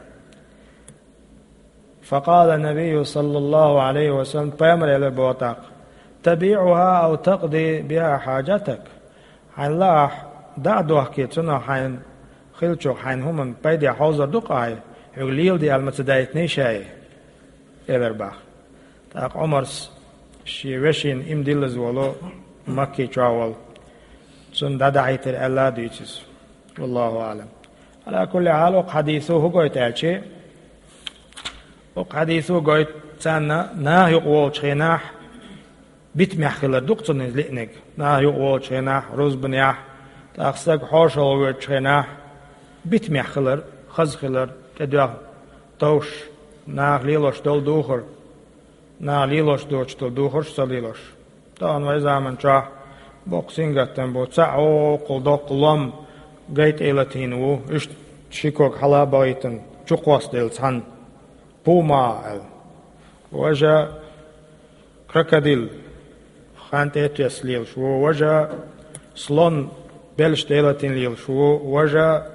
فقال النبي صلى الله عليه وسلم, пайхамара элира боху тӀаккха: تبيعها أو تقضي بها حاجتك. Хьайна лаахь, дӀа а дохкий, цунах хьайна хиллачух хьайна хӀуманна пайда хьовзур ду-кх ахьа, хьоьга леладе аьлла ма ца даийтиний ша и? Элира боху. ТӀаккха Ӏумарс шен вешина иман диллаза волу Макки чохь волу, цунна дӀадахьийтира аьлла а дуьйцу иза. والله أعلم. على كل حال, оцу хьадисо хӀун гойту аьлча, оцу хьадисо гойту царна наха юкъа волчу хенахь битамехь хилар ду-кх цунна иза лиънарг. Наха юкъа волчу хенахь, рузбанехь, тӀаккха стаг хьошалгӀа воьдучу хенахь, битамехь хилар, хаза хилар, тӀедоьхна товш, наха лелош долу духар, наха лелош доцуш долу духарш а ца лелош. Тахана вай заман чохь боккха сингаттам бу, цхьаъ вукхул доккха лом гай тӀе латийна ву, иштта ши ког хьала а бахийтина, чукхоссаделла цхьаьна, пума аьлла. Важа крокодил хан тӀе а тесна лелаш ву, важа слон белш тӀе а латийна лелаш ву, важа,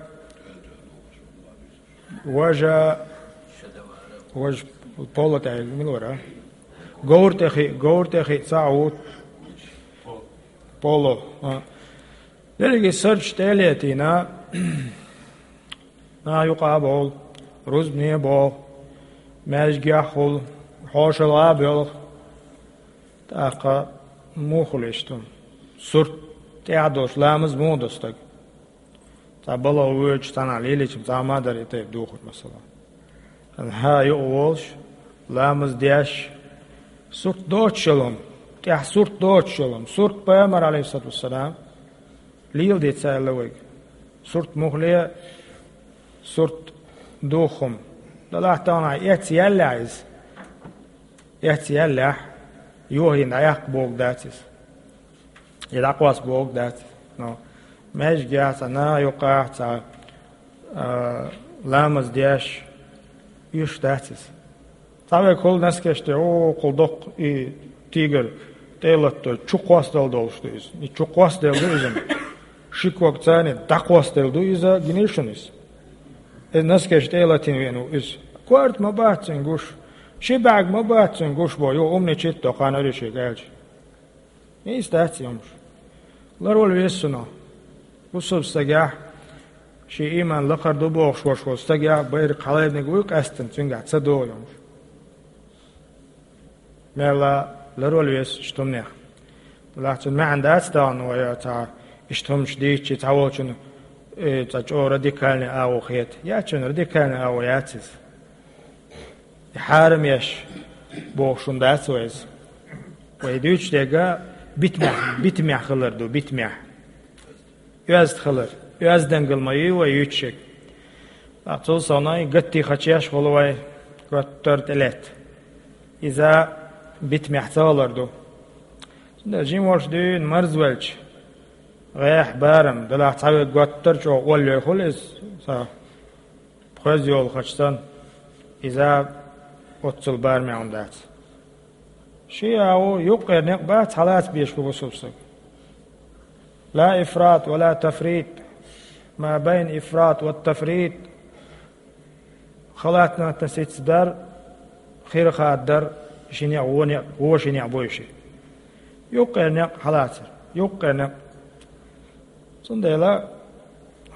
важа, важа поло тӀе мила вара? Говр тӀе хи, говр тӀе хи цхьаъ ву. Поло, а. Дерриге сарч тӀе а летийна, наха юкъа а бовла, рузбане а боху, маьждигехь а хуьлу, хьошалгӀа а боьлху. ТӀаккха муха хуьлу иштта? Сурт тӀехь а долуш, ламаз муха до стаг? Цхьа балха воьдуш цхьанхьа лелийча, цхьа ма дара и тайпа духар, масала. Хьан хьан юкъа волуш, ламаз деш, сурт доцуш йолу хӀума, тӀехь сурт доцуш йолу хӀума, сурт пайхамар, алейхиссалату вассалам, леладе ца аьлла вайга. Сурт мухле, сурт духхум. Далахь тахана эцци яьллехь иза. Эцци яьллехь, йохийна дӀаяккха бохург дац иза. И дӀакъоста бохург дац иза. Но маьждигехь а, цхьа наха юккъехь а, цхьа, а, ламаз деш, уьш дац иза. Цхьа вайга хуьлу носкеш тӀе, о, кхул доккха и тигр тӀе а латадо, чу кхоссадала долуш ду иза. И чу кхоссаделла ду иза. Ши ког царна дӀакхоссаделла ду иза, гинийша шуна иза. Иза носкеш тӀе а латийна веана ву иза. Корта ма бац цуьнан гуш. Ши бӀаьрг ма бац цуьнан гуш бо, юха умничит до кхана аьлла шега аьлча. Нийса дац и хӀумаш. Ларвала веза цунах. Бусалба стагехь, шен ийман лакхара ду бохуш волуш волу стагехь, байракх хьалайниг вуй къаьстина, цуьнгахь ца догӀу и хӀумаш. Мелла ларвала веза иштта хӀуманех. Делахь цуьнан маьӀна дац тахана вай цхьа иштта хӀумаш дийцчи, цхьаволчунна, э, цхьа чӀогӀа радикальный агӀо хета. Яц цуьнан радикальный агӀо яц иза. И хьарам еш бохуш хӀума дац вай иза. Вай дуьйцуш дерг битамехь, битамехь хилар ду, битамехь. Оьзда хилар, оьздангалла ма ю вай юьйцуш ерг. Ткъа цул совнаха гатти хачеш хуьлу вай, гуттар а тӀелетта. Иза битамехь ца хилар ду. Цундела жима волуш дуьйна марзвелча, гӀехь, барам, делахь цхьаверг готтар чӀогӀа оллой хуьлу иза, сан пхоьз йолахача санна, иза оццул барамехь хӀума дац. Шиъ а ву, юккъера некъ бац хьалаца безаш бу бусулба стаг. لا إفراط ولا تفريط، ما بين إفراط والتفريط. Халатнатна сица дар, хира хаддар, ши некъ, вон некъ, вон ши некъ бу и шиъ. Юккъера некъ хьалацар, юккъера некъ. Цундела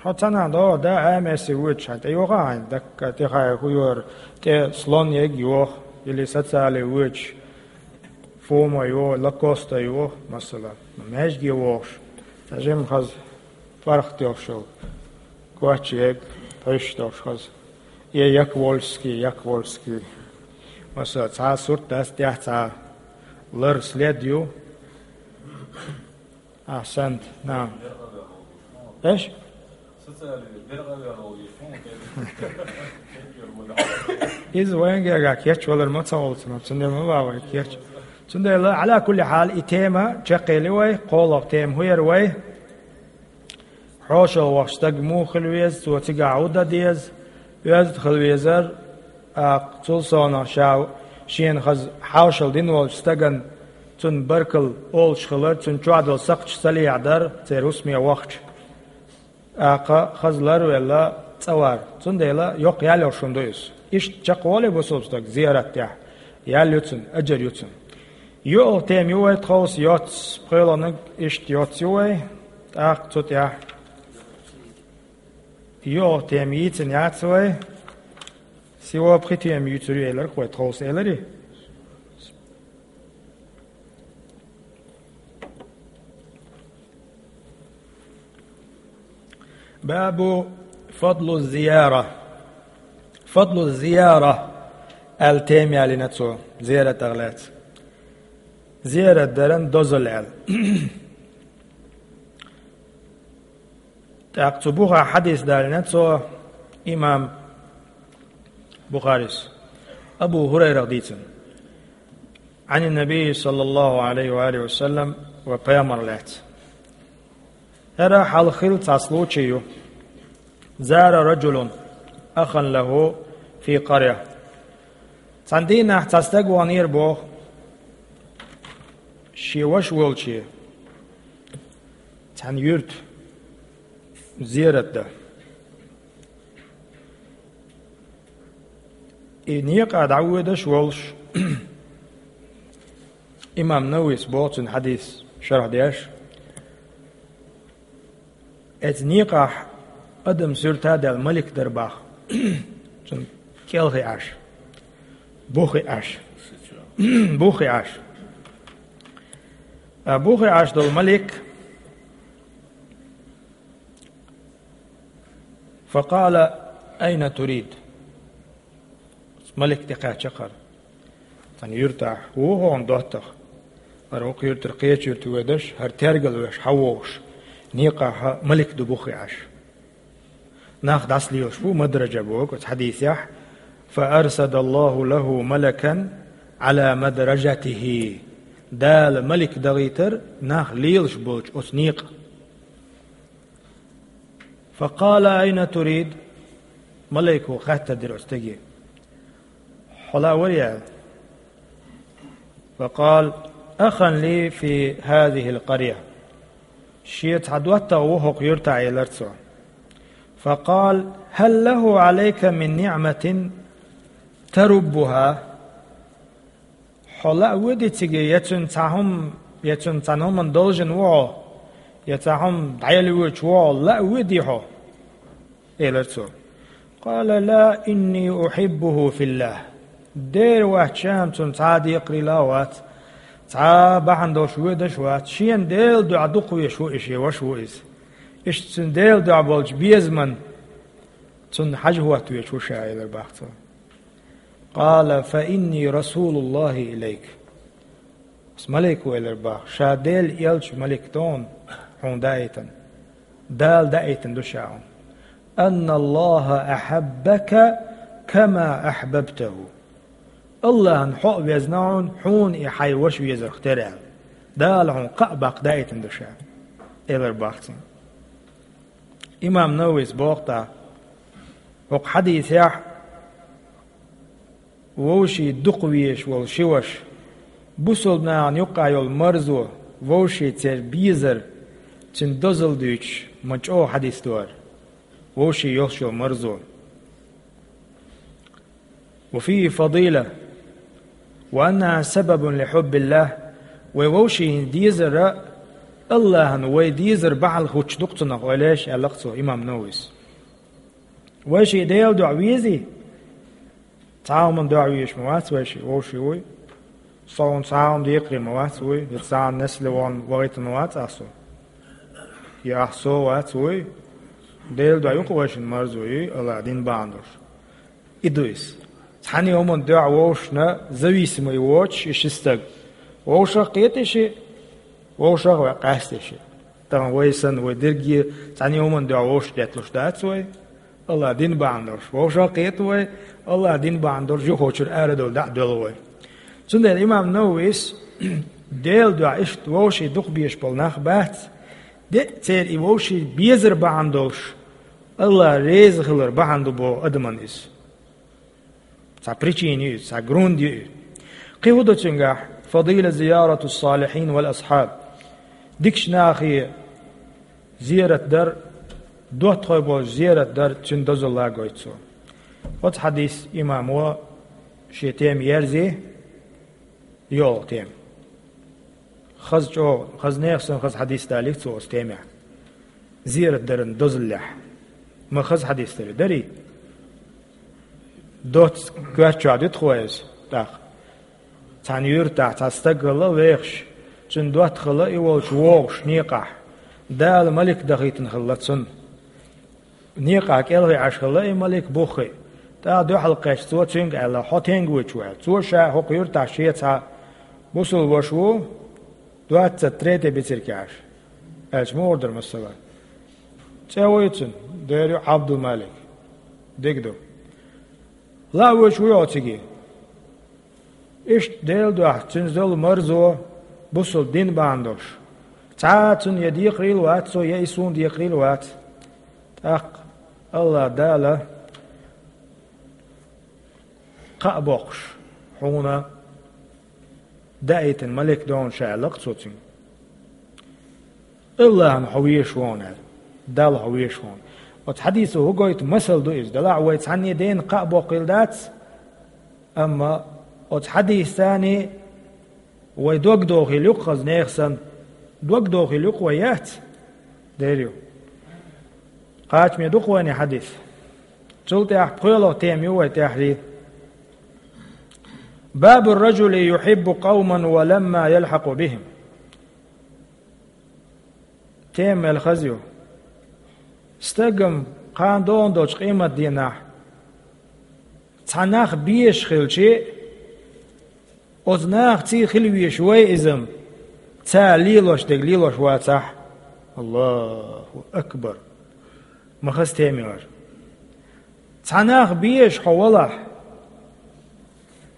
хьо цхьанхьа догӀу да, Ӏамасе воьдуш хьан тӀе йоха хьайн, дакка тӀехьа хӀу йора, тӀе слон ег йоха, или социале воьдуш, Пума йоха, Лакоста йоха, масала, маьжге вохуш, цхьа жимма хаза паргӀат йолуш йолу, коч ег, пхьуьш долуш хаза. Э, Яквольский, Яквольский. Масала, цхьа сурт дац тӀехь, цхьа лар след ю. Ахьсант, наам. Эш? Иза вайн гергахь кечвалар ма ца волу ца, цундела ма ван вай кечвала. Цундела, Ӏала кулли хьал, и тема чекхъели вай, кхоалгӀа тема хӀун яра вай? ХьошалгӀа вахча стаг муха хила веза, цо цигахь хӀун дан деза, оьзда хила везара, тӀаккха цул совнаха ша шена хаза хьошалла дина волчу стагана цунна баркалла олуш хилар, цунна чохь долу сакхташ ца лехьадар, церан хӀусаме вахча. ТӀаккха хаза ларвелла цӀа вар. Цундела йоккха ял йолуш хӀума ду иза. Иштта чекхволий бусулба стаг зиярат тӀехь, ял ю цунна, аджар ю цунна. ЙоьалгӀа тема ю вай тховса йоццу, пхоьалгӀаниг иштта йоццу ю вай, тӀаккха цу тӀехь йоьалгӀа тема йийцина яц вай, сиво пхи тема юьйцур ю элира вай тховса, элира? Бабу фадлу зияра. Фадлу зияра аьлла тема ялийна цо, зиярат даха лаьцна. Зиярат даран дозалла аьлла. ТӀаккха цу бухахь хьадис далийна цо, имам Бухарис, Абу ХӀурайрах дийцина. Ӏан Наби, саллаллаху Ӏалайхи ва алихи ва саллам, ва пайхамар лаьцна. ХӀара хьалха хилла цхьа случай ю. Зара раджулун ахан лаху фи къаря. Цхьана дийнахь цхьа стаг ваханера боху, шен ваша волче цхьана юьрта зиярат дан. И некъа дӀавоьдуш волуш, имам Нававис боху цуьнан хьадис шархь деш, эцу некъахь адам суьрта а даьлла малик дара боху, цунна кӀелхиъаш, бухиъаш, бухиъаш. А бухиъаш долу малик, факъала: «Айна турид?» Малик тӀекхаьчча хӀара. Цхьана юьртахь ву хьуна доттагӀа. ХӀара вукху юьртара кхечу юьрта воьдуш, хӀара тергал веш, хьан вогӀуш? Некъахь малик ду бухиъаш. Нах дӀасалелаш бу, мадража боху оцу хьадисехь: «Фаарсадаллаху лаху малакан Ӏала мадражатихи». Дала малик дахийтар нах лелаш болчу оцу некъа. «Факъала: айна турид?» Малайко хаттар дира оцу стаге: «Хьо лаьа вара?» — аьлла. «Факъала: ахан ли фи хазихил къаря». Шен цхьа доттагӀа ву хӀокху юьртахь, элира цо. «Факъала: хӀал лаху Ӏалайка мин ниъматин таруббуха?» Хьо лаа воьдий цига, я цуьнан цхьа хӀума, я цуьнан цхьана хӀуманна должен ву хьо, я цхьа хӀума дӀаяла воьдуш ву хьо, лаа воьдий хьо? — элира цо. «Къала: ла, инни ухиббуху филлах». Дера вац, ша-м цунна цхьа а декхарийлахь вац, цхьа а бахьана долуш воьдуш вац, шена Делан дуьхьа дукха везаш ву и шен ваша ву иза. Иштта цуьнан Делан дуьхьа болчу безаман цунна хьажа хӀоттавезаш ву ша, — элира боху цо. «Къала: фа инни расулуллахи илайк». Ас малик ву, элира боху, ша Делан элча малик ду хьуна, хьуна даийтина. Дала даийтина ду ша хьуна. «Анналлаха ахьаббака кама ахьбабтаху». Аллахьна хьо а везна хьуна, хьуна и хьайн ваша везарх тера аьлла. Дала хьуна кхаъ баккха даийтина ду ша, элар бахцин. Имам Нававис боху тӀаккха, хӀокху хьадисехь вовшийн дукха везаш волу ши ваша, бусалба нахана юккъахь йолу марзо, вовшийн церан безар, цуьнан дозалла дуьйцуш, ма чӀогӀа хьадис ду хӀара. Вовшийн йолуш йолу марзо. وفيه فضيلة، وأنها سبب لحب الله. Вай вовшийн дезар а, Аллахьан вай дезар бахьана хуьттуш ду-кх цунах, ойла еш, аьлла-кх цо, имам Нававис. Вай шиъ Делан дуьхьа везий? Цхьа хӀуманна дуьхьа везаш ма вац вай шиъ, вовшийн вуй. Со хьуна цхьа хӀума декхаре ма вац вуй, я цхьана несла вон вахийтина вац ахь со, я ахь со вац вуй. Делан дуьхьа ю-кх вай шина марзо, юй, Аллахьан дин бахьана долуш. И ду иза. Цхьана хӀуманна дуьхьа вовшашна зависимый воцуш и ши стаг. Вовшах а кхета шиъ, вовшах а ваьккхи, къаьсти шиъ. Тахана вай санна, вай дерриге цхьана хӀуманна дуьхьа вовшах кхеталуш дац вай. Аллахьан дин бахьана долуш вовшах а кхета вай, Аллахьан дин бахьана долуш юхочуьра арадовла дӀа а доьлху вай. Цундела имам Нававис Делан дуьхьа иштта вовшийн дукха безаш болу нах бац, де а церан и вовшийн безар бахьана долуш, Аллахь реза хилар бахьана ду боху адаман иза. Цхьа причина ю иза, цхьа грунд ю иза. Кхин хӀун ду цуьнгахь? فضيلة زيارة الصالحين والأصحاب. Дикачу нахе зерат дар, доттагӀий болчу зерат дар, цуьнан дозалла гойту цо. Оцу хьадис имамо шен тема ерзи, йолу тема. Хаза чӀогӀа, хаза нехан санна хаза хьадис далийра цо оцу темехь. Зерат даран дозаллехь. Ма хаза хьадис дарий? Дарий? Доцца коьрта чохь дуьту хьо иза тӀаккха. Цхьана юьртахь цхьа стаг хилла вехаш, цуьнан доттагӀ хилла и волчу вогӀуш некъахь. Дала малик дахийтина хилла цунна. Некъахь кӀелхий Ӏаш хилла и малик буххий. ТӀаккха дуьхьал кхаьчча цо цуьнга аьлла: «Хьо стенга вуьйцуш ву?» — аьлла. Цо ша хӀокху юьртахь шен цхьа бусалба ваша ву, двадцать третий бициркехь Ӏаш. Аьлча муха дара масала? ЦӀе вуй цуьнан, дера ю Ӏабдул-Малик. Дика ду. Лаа вуьйцуш вуй хьо цига? Иштта Делан дуьхьа цуьнан зовла марзо, бусалба дин бахьана долуш. Цхьа а цунна я декхарийлла вац цо, я и суна декхарийлла вац. ТӀаккха Аллахь Дала кхаъ боккхуш, хьуна даийтина малик ду хьуна ша, аьлла-кх цо цуьнга. Аллахьна хьо везаш ву хьуна аьлла. Далла хьо везаш ву хьуна. Оцу хьадисо хӀун гойту, масал ду иза. Делахь вай цхьанне дена кхаъ боккхийла дац, амма оцу хьадисца вай дог дохийла ю-кх хаза нехан санна. Дог дохийла ю-кх вай, яц? Дера ю. Кхачаме ду-кх вайна хьадис. Цул тӀаьхьа пхоьалгӀа тема ю вай тӀаьхьарий. باب الرجل يحب قوما ولما يلحق بهم. Тема мел хаза ю. Стагана кхана догӀун долчу къематдийнахь цхьа нах безаш хилча, оцу нахаца хила везаш вай иза-м, цара лелош дерг лелош вацахь. Аллаху акбар! Ма хаза тема ю хӀара. Цхьа нах безаш хьо валахь,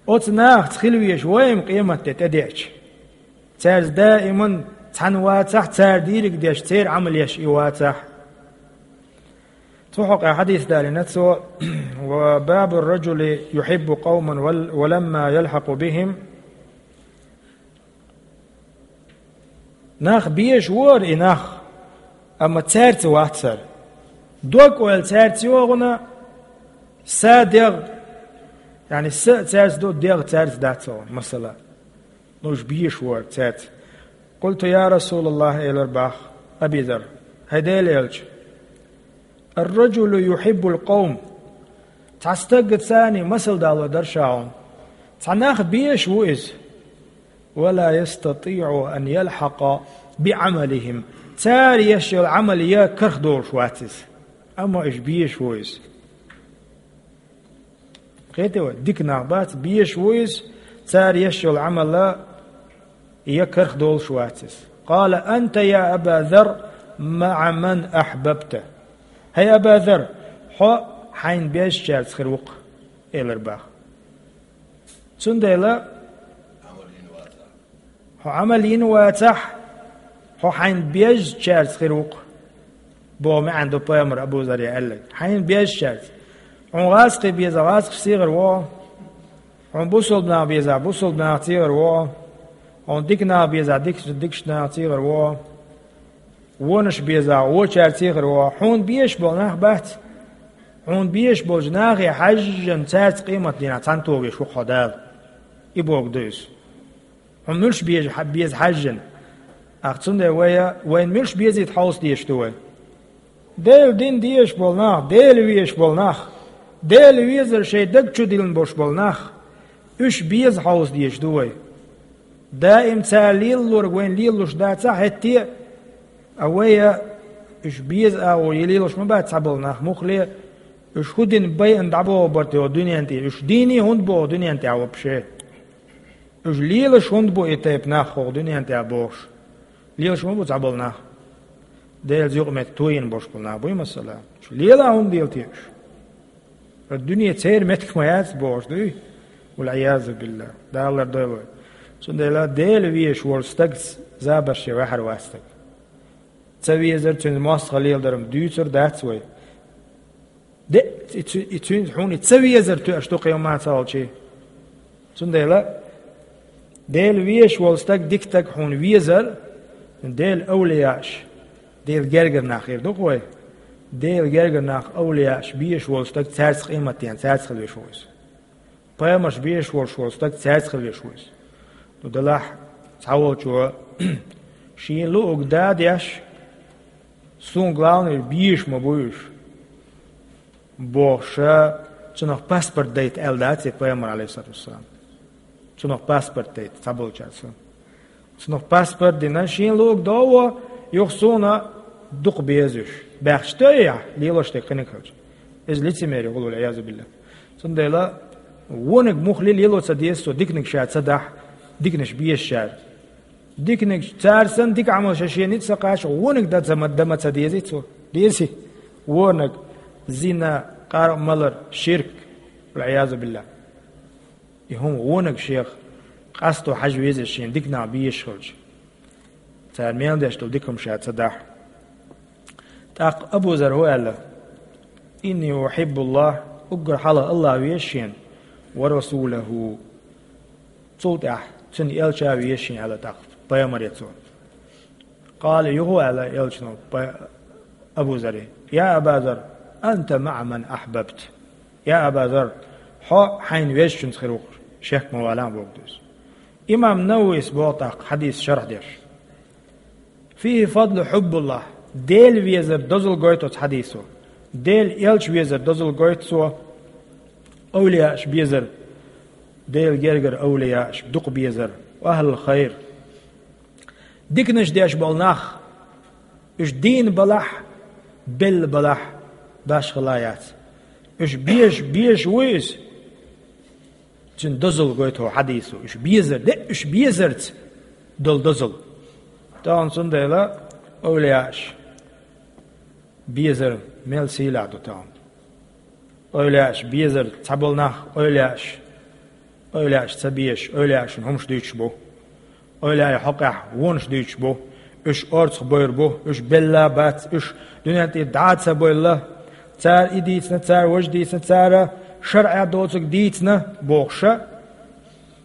оцу нахаца хила везаш вай-м къематде тӀедеача. Цаьрца даиман цхьаьна вацахь, цара дийриг деш, церан Ӏамал еш и вацахь. Цу хьокъехь хьадис далийна цо: وباب الرجل يحب قوما ول-، ولما يلحق بهم. Нах безаш ву хӀара и нах, амма цаьрца вац хӀара. Дог-ойла цаьрца йогӀуна, са дегӀ, яъни са а цаьрца ду, дегӀ цаьрца дац хӀара, масала. Ну, уьш безаш ву хӀара цаьрца. قلت: يا رسول الله, элира боху Аби Зар, хӀай Делан элча, الرجل يحب القوم. Цхьа стаггацани масал дало дара ша хьуна. Цхьа нах безаш ву иза. ولا يستطيع أن يلحق بعملهم. Цара еш йолу Ӏамал ян карах долуш вац иза. Амма уьш безаш ву иза. Кхетий вай, дика нах бац, безаш ву иза, цара еш йолу Ӏамал ян карах долуш вац иза. قال: أنت يا أبا ذر مع من أحببت. ХӀай Аба Зар, хьо хьайна безачаьрца хир ву-кх, элира боху. Цундела Хьо Ӏамал йина вацахь, хьо хьайна безачаьрца хир ву-кх, боху маьӀна ду пайхамар Абу Зарре аьлларг. Хьайна безачаьрца. Хьуна гӀазкхий безахь, гӀазкхашца хир ву хьо. Хьуна бусалба нах безахь, бусалба нахаца хир ву хьо. Хьуна дика нах безахь, дикаш-, дикачу нахаца хир ву хьо. Вонаш безахь, вочаьрца хир ву хьо. Хьуна безаш болу нах бац. Хьуна безаш болчу нахе хьаьжжина, цаьрца къематдийнахь цхьаьна тоьхна везаш ву-кх хьо Дала. И бохург ду иза. Хьуна муьлш беза, беза хьаьжжина? Ах, цундела вай, вайна муьлш безийта хьовса дезаш ду вай? Делан дин дезаш болу нах, Дела везаш болу нах, Дела везар шайн даг чу диллина болуш болу нах, уьш беза хьовса дезаш ду вай. Даим цара лелалург вайна лелалуш дацахь а хӀетте а, а вай а уьш беза агӀор лелалуш ма бац цхьаболу нах, муххале а, уьш хӀун дина байина дӀабохур бара те хӀокху дуьнен тӀе, уьш дийне хӀунда бу хӀокху дуьнен тӀехь вообще? Уьш лелаш хӀунда бу и тайпа нах хӀокху дуьнен тӀехь бохуш? Лелаш ма бу цхьаболу нах. Делан юкъаметтиг тойина болуш болу нах буй, масала. Уьш лела хӀунда лела те уьш? Дуьне церан меттиг ма яц бохуш дуй? Вал-Ӏиязу биллахӀ. Дала лардойла вай. Цундела Дела везаш волу стаг забарш ян ваьхьар вац стаг. Ца везар, цуьнан мостагӀалла леладар-м дуьйцур дац вай. Де, и цу-, и цуьнца хьуна и ца везар тоьаш ду кхин хӀумма ца хилчий. Цундела Дела везаш волу стаг, дика стаг хьуна везар, Делан овлияаш, Делан гергара нах хир ду-кх вай. Делан гергара нах, овлияаш безаш волу стаг, цаьрца къематдийнахь, цаьрца хила везаш ву иза. Пайхамарш безаш волуш волу стаг, цаьрца хила везаш ву иза. Ну, делахь, цхьаволчо шен луъург да а деш, суна главный безаш ма бу уьш, бохуш, цунах паспорт дайта аьлла дац и пайхамар, Ӏалайхиссалату вассалам. Цунах паспорт дайта цхьаболчаьрца. Цунах паспорт дина, шен луъург до а во, юха суна дукха беза уьш. Баьхча тойяхь, лелош дерг кхиниг хилча. Иза лицемерие хуьлу, вал-Ӏиязу биллахӀ. Цундела вониг муххале лело ца деза цо, диканиг ша ца дахь, диканаш безачара. Диканиг цара санна дика Ӏамал ша шена ницкъ ца кхача, вониг дан ца ма, дан ма ца дезий цо. Дезий? Вониг, зина, къаркъа малар, ширк, вал-Ӏиязу биллахӀ. И хӀума вониг шех къасто хьажа веза шена дика нах безаш хилча. Цара мел деш долу дика хӀума ша ца дахь. ТӀаккха Абу Зар хӀун аьлла: «Инни ухьиббуллахӀ», уггар хьалха АллахӀ веза шена, «ва расулахӀу». Цул тӀаьхьа цуьнан элча а веза шена аьлла тӀаккха пайхамаре цо. Къала, юха аьлла элчано, пай-, Абу Заре: «Я Аба Зар, анта маӀа ман ахьбабт». Я Аба Зар, хьо хьайна везачуьнца хир ву-кх, шек ма валахь боху дуьйцу. Имам Нававис боху тӀаккха хьадис шарх деш: «ФихӀи фадлу хьуббуллахӀ», Дела везар дозалла гойту оцу хьадисо. Дела элча везар дозалла гойту цо. Овлияаш безар, Делан гергара овлияаш дукха безар. Ва ахьлул хайр. Диканаш деш болу нах, уьш дийна балахь, белла балахь, башхала яц. Уьш безаш, безаш вуй иза? Цуьнан дозалла гойту хьадисо. Уьш безар, де, уьш безарца долу дозалла. Тахана цундела овлияаш безар мел сийлахь ду тахана. Ойла еш безар, цхьаболу нах ойла еш, ойла еш ца безаш, ойла ешна хӀумаш дуьйцуш бу. Ойла еш хьокъехь вонаш дуьйцуш бу. Уьш орцах бевр бу, уьш белла а бац, уьш дуьнен тӀера дӀа а ца бевлла. Цара и дийцина, цара важа дийцина, цара шарӀехь доцург дийцина, бохуша,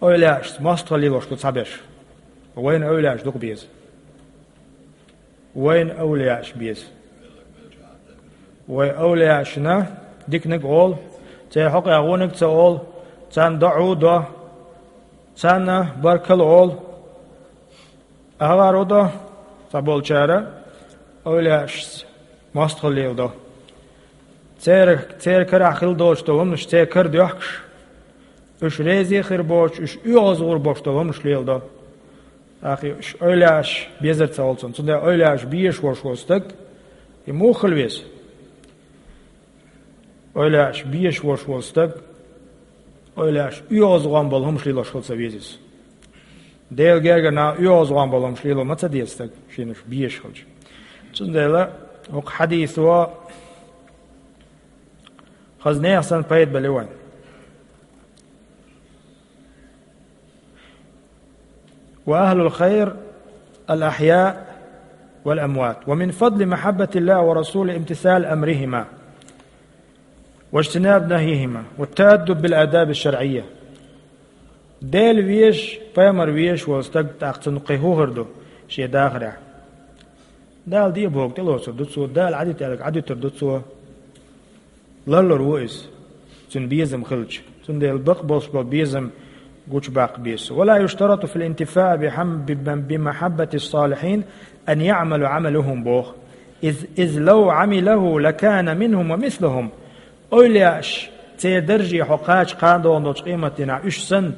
ойла еш мостагӀалла лелош ду цхьаберш. Вайна ойла еш дукха беза. Вайна овлияаш беза. Вай овлияашна диканиг олу, церан хьокъехь вониг ца олу, царна доӀа а до, царна баркалла олу. Ахьа гӀаро до, цхьаболчара овлияашца мостагӀалла леладо. Церан, церан карахь хила долуш долу хӀуманаш церан кара доьхкуш, уьш реза а хир боцуш, уьш оьгӀазгӀур боцуш долу хӀуманаш леладо. ТӀаккха уьш ойла еш безар ца олу цунна. Цундела ойла еш безаш волуш волу стаг, и муха хила веза? Ойла еш безаш волуш волу стаг, ойла еш оьгӀазгӀон болу хӀумаш лелош хила ца веза иза. Делан гергара нах оьгӀазгӀон болу хӀумаш лело ма ца деза стаг, шена уьш безаш хилча. Цундела хӀокху хьадисо хаза нехан санна пайда бали вайн. وأهل الخير الأحياء والأموات، ومن فضل محبة الله ورسوله امتثال أمرهما واجتناب نهيهما والتأدب بالآداب الشرعية. Дела везаш, пайхамар везаш волу стаг, тӀаккха цунна кхин хӀун хир ду шен дахарехь? Дала де бохург тӀелоцур ду цо, Дала Ӏадита аьлларг Ӏадуьтур ду цо. Ларлур ву иза, цуьнан безам хилча. Цундела бакъ болуш болу безам гучубаккха беза. ولا يشترط في الانتفاع بحم-، بم-، بمحبة الصالحين أن يعمل عملهم, боху. إذ، إذ لو عمله لكان منهم ومثلهم. Эвлаяаш, церан дарже хьо кхача кхана догӀун долчу къематдийнахь уьш санна,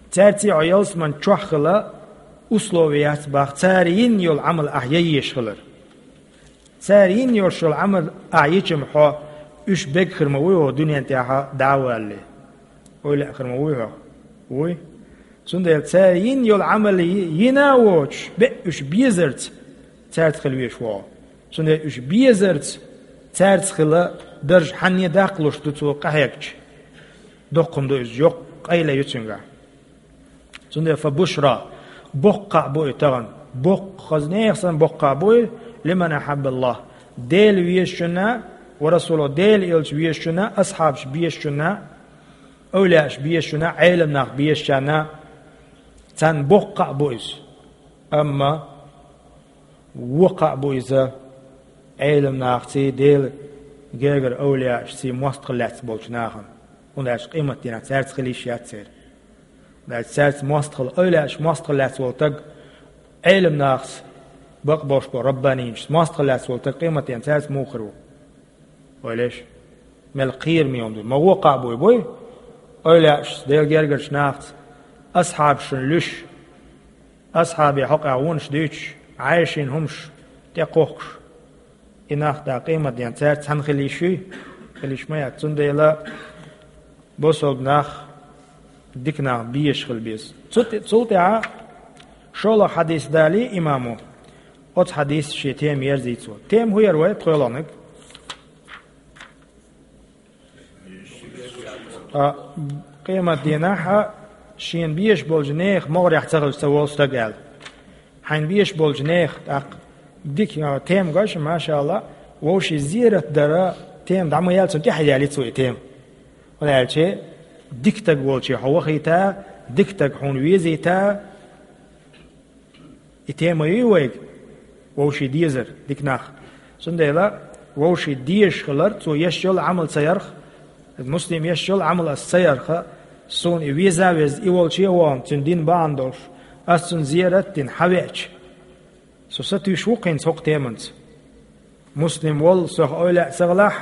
цаьрца хьо ялсаман чохь хила условие яц боху, цара йина йолу Ӏамал ахь ян езаш хилар. Цара йина йолуш йолу Ӏамал ахь йича-м хьо уьш берг хир ма вуй хьо дуьнен тӀехь дӀа а валале? Эвлаяъ хир ма вуй хьо? Вуй. Цундела цара йина йолу Ӏамал йи-, йина а воцуш, беа уьш безарца цаьрца хила везаш ву хьо. Цундела уьш безарца цаьрца хила дарж хьанне даккхалуш ду цо къахьегча? Доккха хӀума ду иза, йоккха къайле ю цуьнгахь. Цундела فبشرى, боккха кхаъ бу и тахана, боккха, хаза нехан санна боккха кхаъ бу и, لمن أحب الله, Дела везачунна, ورسوله, Дела элча везачунна, асхьабаш безачунна, эвлаяаш безачунна, Ӏелам нах безачарна, царна боккха кхаъ бу иза. Амма вон кхаъ бу иза Ӏелам нахаций, Делан гергара эвлаяашций мостагӀалла лаьцна болчу нахана. ХӀунда аьлча къематдийнахь цаьрца хила йиш яц церан. ХӀунда аьлча цаьрца мостагӀалла, эвлаяашца мостагӀалла лаьцна волу стаг, Ӏелам нахаца, бакъ болуш болу раббанийчаьрца мостагӀалла лаьцна волу стаг къематдийнахь цаьрца муха хир ву? Ойла еш, мел кхераме хӀума ду. Ма вон кхаъ буй, буй? Эвлаяашца, Делан гергарчу нахаца, асхьабашна луьйш, асхьабийн хьокъехь вонаш дуьйцуш, Ӏайшин хӀумаш тӀекхухкуш, и нах да къематден цаьрца цхьаьна хила йиш юй? Хила йиш ма яц. Цундела бусалба нах дика нах безаш хила беза. Цу тӀе-, цул тӀаьхьа шолгӀа хьадис далий имамо, оцу хьадисца шен тема ерзий цо. Тема хӀун яра вай тхоьлгӀаниг? Ткъа къематдийнахь а шена безаш болчу нехан могӀарехь ца хилча ца волу стаг аьлла. Хьайна безаш болчу нехан тӀаккха дика, а, тема гаш, машаалла, вовшийн зерат дара тема дӀа ма яьлла, цунна тӀаьхьа яьлла цо и тема. ХӀунда аьлча дика стаг волче хьо вахийта, дика стаг хьуна везийта, и тема юй вайга, вовшийн дезар, дика нах. Цундела вовшийн дезаш хилар, цо еш йолу Ӏамал ца ярх, муслим еш йолу Ӏамал ас ца ярха, суна и веза а веза, и волче а вон, цуьнан дин бахьана долуш, ас цунна зерат а дина, хьавеача, со сатуьйсуш ву кхин цхьа хӀокху теманца. Муслим волу, сох эвлаяъ ца хилахь,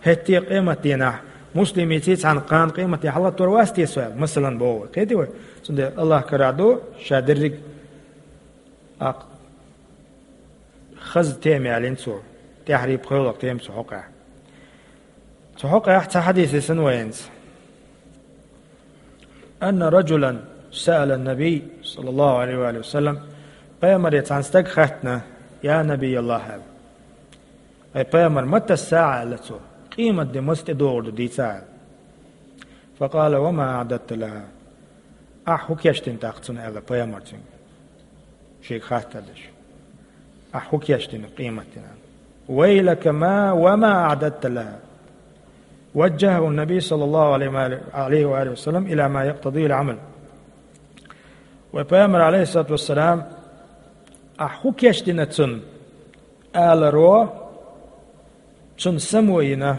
хӀетте а къематдийнахь, муслимеций цхьаьна кхана къематдийнахь хьалагӀаттор вац те со аьлла, масалан, боху вай. Кхетий вай? Цундела Аллах карахь ду, ша дерриг а хаза тема ялийна цо, тӀаьхьарий пхоьлгӀа тема цу хьокъехь. Цу хьокъехь цхьа хьадис дисина вайна. أن رجلا سأل النبي صلى الله عليه وآله وسلم, пайхамаре цхьана стага хаьттина: «Я Набий Аллах», аьлла. «Ай пайхамар, متى الساعة», аьлла цо, «къематде маца тӀедогӀур ду дийца», аьлла. فقال: «وما أعددت لها؟» Ахь хӀун кечдина тӀаккха цунна, аьлла пайхамар цуьнга. Шега хаттар деш. Ахь хӀун кечдина къематдийнан? «ويلك ما وما أعددت لها». وجهه النبي صلى الله عليه وآله، عليه وآله وسلم إلى ما يقتضيه العمل. Вай пайхамар, алейхиссалату вассалам, ахь хӀун кечдина цунна, аларо, цунна само йина.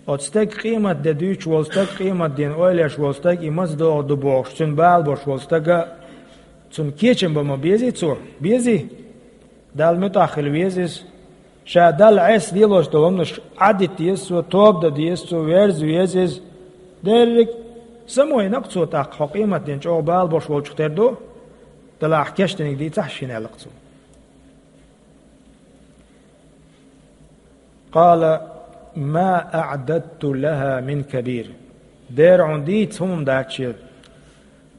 Оцу стеган къематде дуьйцуш волу стаг, къематден ойла еш волу стаг, и маца догӀур ду бохуш, цуьнан бала беш волу стага, цунна кечам бан ма безий цо? Безий? Далла муьтӀахь хила веза иза. Ша Далла Ӏеса лелош долу хӀуманаш Ӏадита деза цо, тоба дан деза цо, верза веза иза. Дерриг а само йина-кх цо тӀаккха, хьо къематден чӀогӀа бала беш волчух тера ду, Далла ахь кечдинарг дийцахь шена, аьлла-кх цо. قال: ما أعددت لها من كبير. Дера хьуна дийца хӀума дац шен,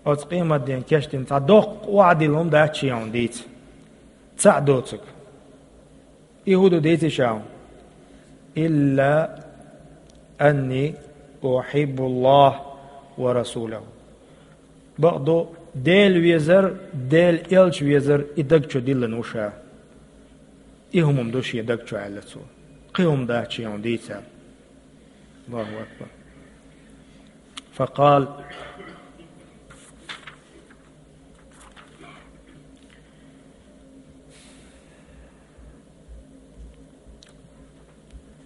оцу къематден кечдина цхьа доккха охьадилла хӀума дац шен хьуна дийца. Цхьаъ доцург. И хӀун ду дийций ша хьуна? إلا أني أحب الله ورسوله. Бакъду, Дела везар, Дела элча везар и даг чу диллина ву ша. И хӀума ду шен даг чу аьлла цо. Кхин хӀума дац шен дийца. Аллаху акбар. Факъал.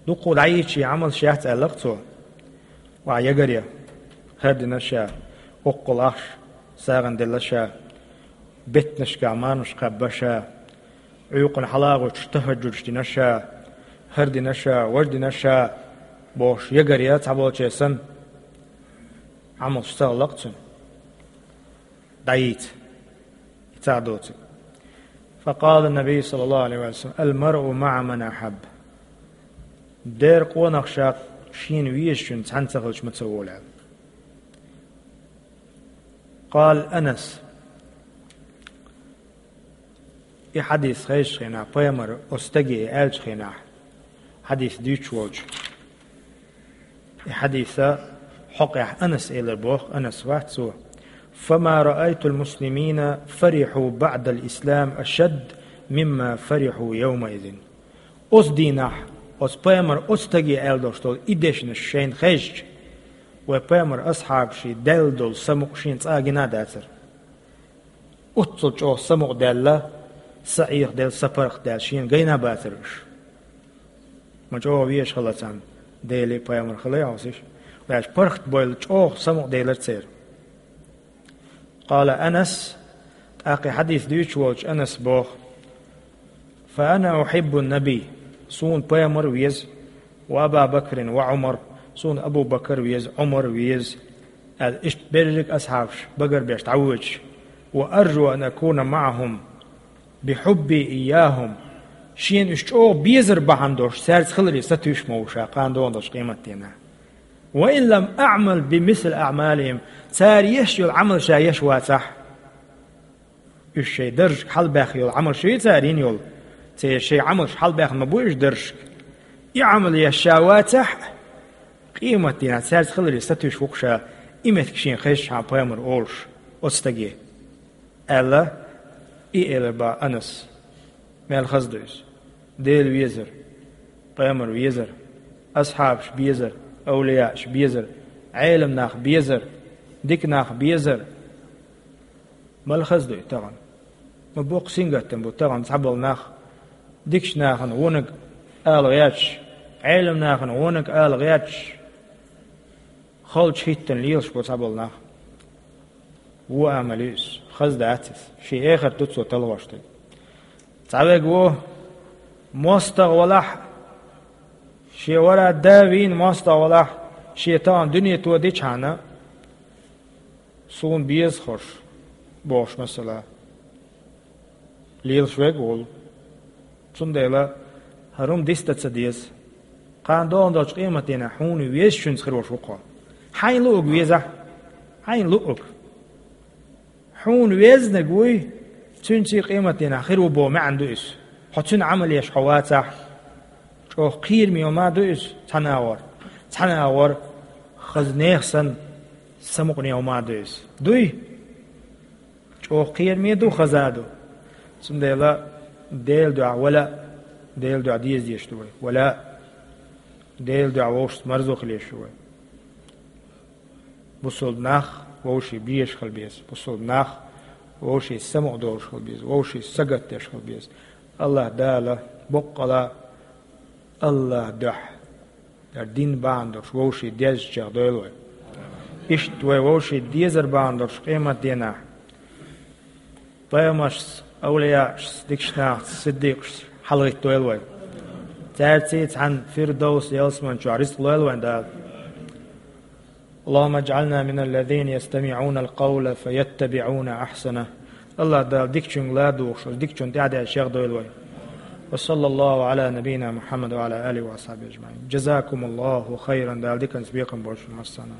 Дукха дӀайийча Ӏамалш яц аьлла цо. Ва ягар я. ХӀара дина ша, оккхул ахш, сагӀан делла ша, беттанашка мармаш кхаьбба ша, Ӏуьйкъана хьалагӀуьттуш тахӀажжудаш дина ша, хӀара дина ша, важа дина ша, бохуш ягар я цхьаболче санна, Ӏамалш ца хилла цуьнан. ДӀайийца. И ца доцург. Факъала Наби саллаллаху алейхи ва саллям: «Ал-маръу маъа ман ахабб». Дера къонах ша шена везачун цхьаьна ца хилча ма ца волу аьлла. Къала Анас. И хьадис хезачу хенахь, пайхамар оцу стаге аьллачу хенахь, хьадис дуьйцуш волчу. И хьадиса хьокъехь Анас элар боху, Анас вац цо: «Фама раайтул муслимина фариху баъдал ислам ашадд мимма фариху явмаизин». Оцу дийнахь, оцу пайхамар оцу стаге аьлла долуш долу и дешнаш шайна хезча, вай пайхамар асхьабаший даьлла долу самукъа шена цкъа а гина а дацара. Оццул чӀогӀа самукъадаьлла, са Ӏехадаьлла, са паргӀатдаьлла шена гайна а бацара уьш. Ма чӀогӀа везаш хилла царна, Деле а, пайхамар хила а хьовсийша, ваьш паргӀатбойла чӀогӀа самукъаделира церан. Къала Анас, тӀаккха и хьадис дуьйцуш волчу Анас боху: «Фа ана ухиббу Наби», суна пайхамар веза, «ва Аба Бакрин ва Ӏумар», суна Абу Бакр веза, Ӏумар веза, аьлла, иштта берриг а асхьабаш багарбеш дӀавоьдуш, «ва аржу ан акуна маъахум бихьубби ийяхум», шена уьш чӀогӀа безар бахьана долуш, цаьрца хиларе сатуьйсуш ма ву ша кхана догӀун долчу къематдийнахь. «Ва ин лам аъмал бимисли аъмалихим», цара еш йолу Ӏамал ша еш вацахь, уьш шайн даржашка хьалабаьхна йолу Ӏамал шу ю цара йина йолу, церан шайн Ӏамалш хьалабаьхна ма бу уьш даржашка. И Ӏамал еш ша вацахь а, къематдийнахь цаьрца хиларе сатуьйсуш ву-кх ша, и меттиг шена хезчахьана пайхамар олуш оцу стаге, аьлла, и элар боху Анас. Мел хаза ду иза. Дела везар, пайхамар везар, асхьабаш безар, авлияаш безар, Ӏелам нах безар, дика нах безар. Мел хаза ду и тахана. Ма боккха сингаттам бу тахана цхьаболу нах, дикачу нахана вониг ала гӀерташ, Ӏелам нахана вониг ала гӀерташ, халчу хӀиттана лелаш бу цхьаболу нах. Вон амал ю иза, хаза дац иза. Шен эхарт ду цо талхош дерг. Цхьаверг ву, мостагӀа валахь а, шен вара да вийна мостагӀа валахь а, шен тахана дуьне тодичхьана, суна беза хӀорш, бохуш масала. Лелаш верг а волу. Цундела хӀара хӀума дицдан ца деза. Кхана догӀун долчу къематдийнахь хьуна везачуьнца хир волуш ву-кх хьо. Хьайна луург везахь, хьайна луург. Хьуна везнарг вуй, цуьнца къематдийнахь хир ву боху маьӀна ду иза. Хьо цуьнан Ӏамал еш хьо вацахь, чӀогӀа кхераме хӀума ду иза цхьана агӀор. Цхьана агӀор хаза нехан санна самукъане хӀума ду иза. Дуй? ЧӀогӀа кхераме ду, хаза а ду. Цундела Делан дуьхьа вала а, Делан дуьхьа деза дезаш ду вай. Вала а, Делан дуьхьа вовшашца марзо хила езаш ду вай. Бусалба нах вовшийн безаш хила беза. Бусалба нах вовшийн самукъадолуш хила беза. Вовшийн сагатдеш хила беза. АллахӀ Дала боккъала АллахӀ дуьхьа. Дара дин бахьана долуш вовшийн дезачех дойла вай. Иштта вай вовшийн дезар бахьана долуш къематдийнахь пайхамаршца, авлияашца, дикачу нахаца, сиддикъашца хьалагӀиттадойла вай. Цаьрца цхьаьна Фирдовс ялсамани чохь рицкъ лойла вайн Дала. اللهم اجعلنا من الذين يستمعون القول فيتبعون أحسنه. АллахӀ Дала дикачуьнга ладугӀуш, оцу дикачунна тӀаьхьадаьлла чех дойла вай. وصلى الله على نبينا محمد وعلى آله وأصحابه أجمعين. جزاكم الله خيرا. Дала диканца бекхам бойла шуна массарна.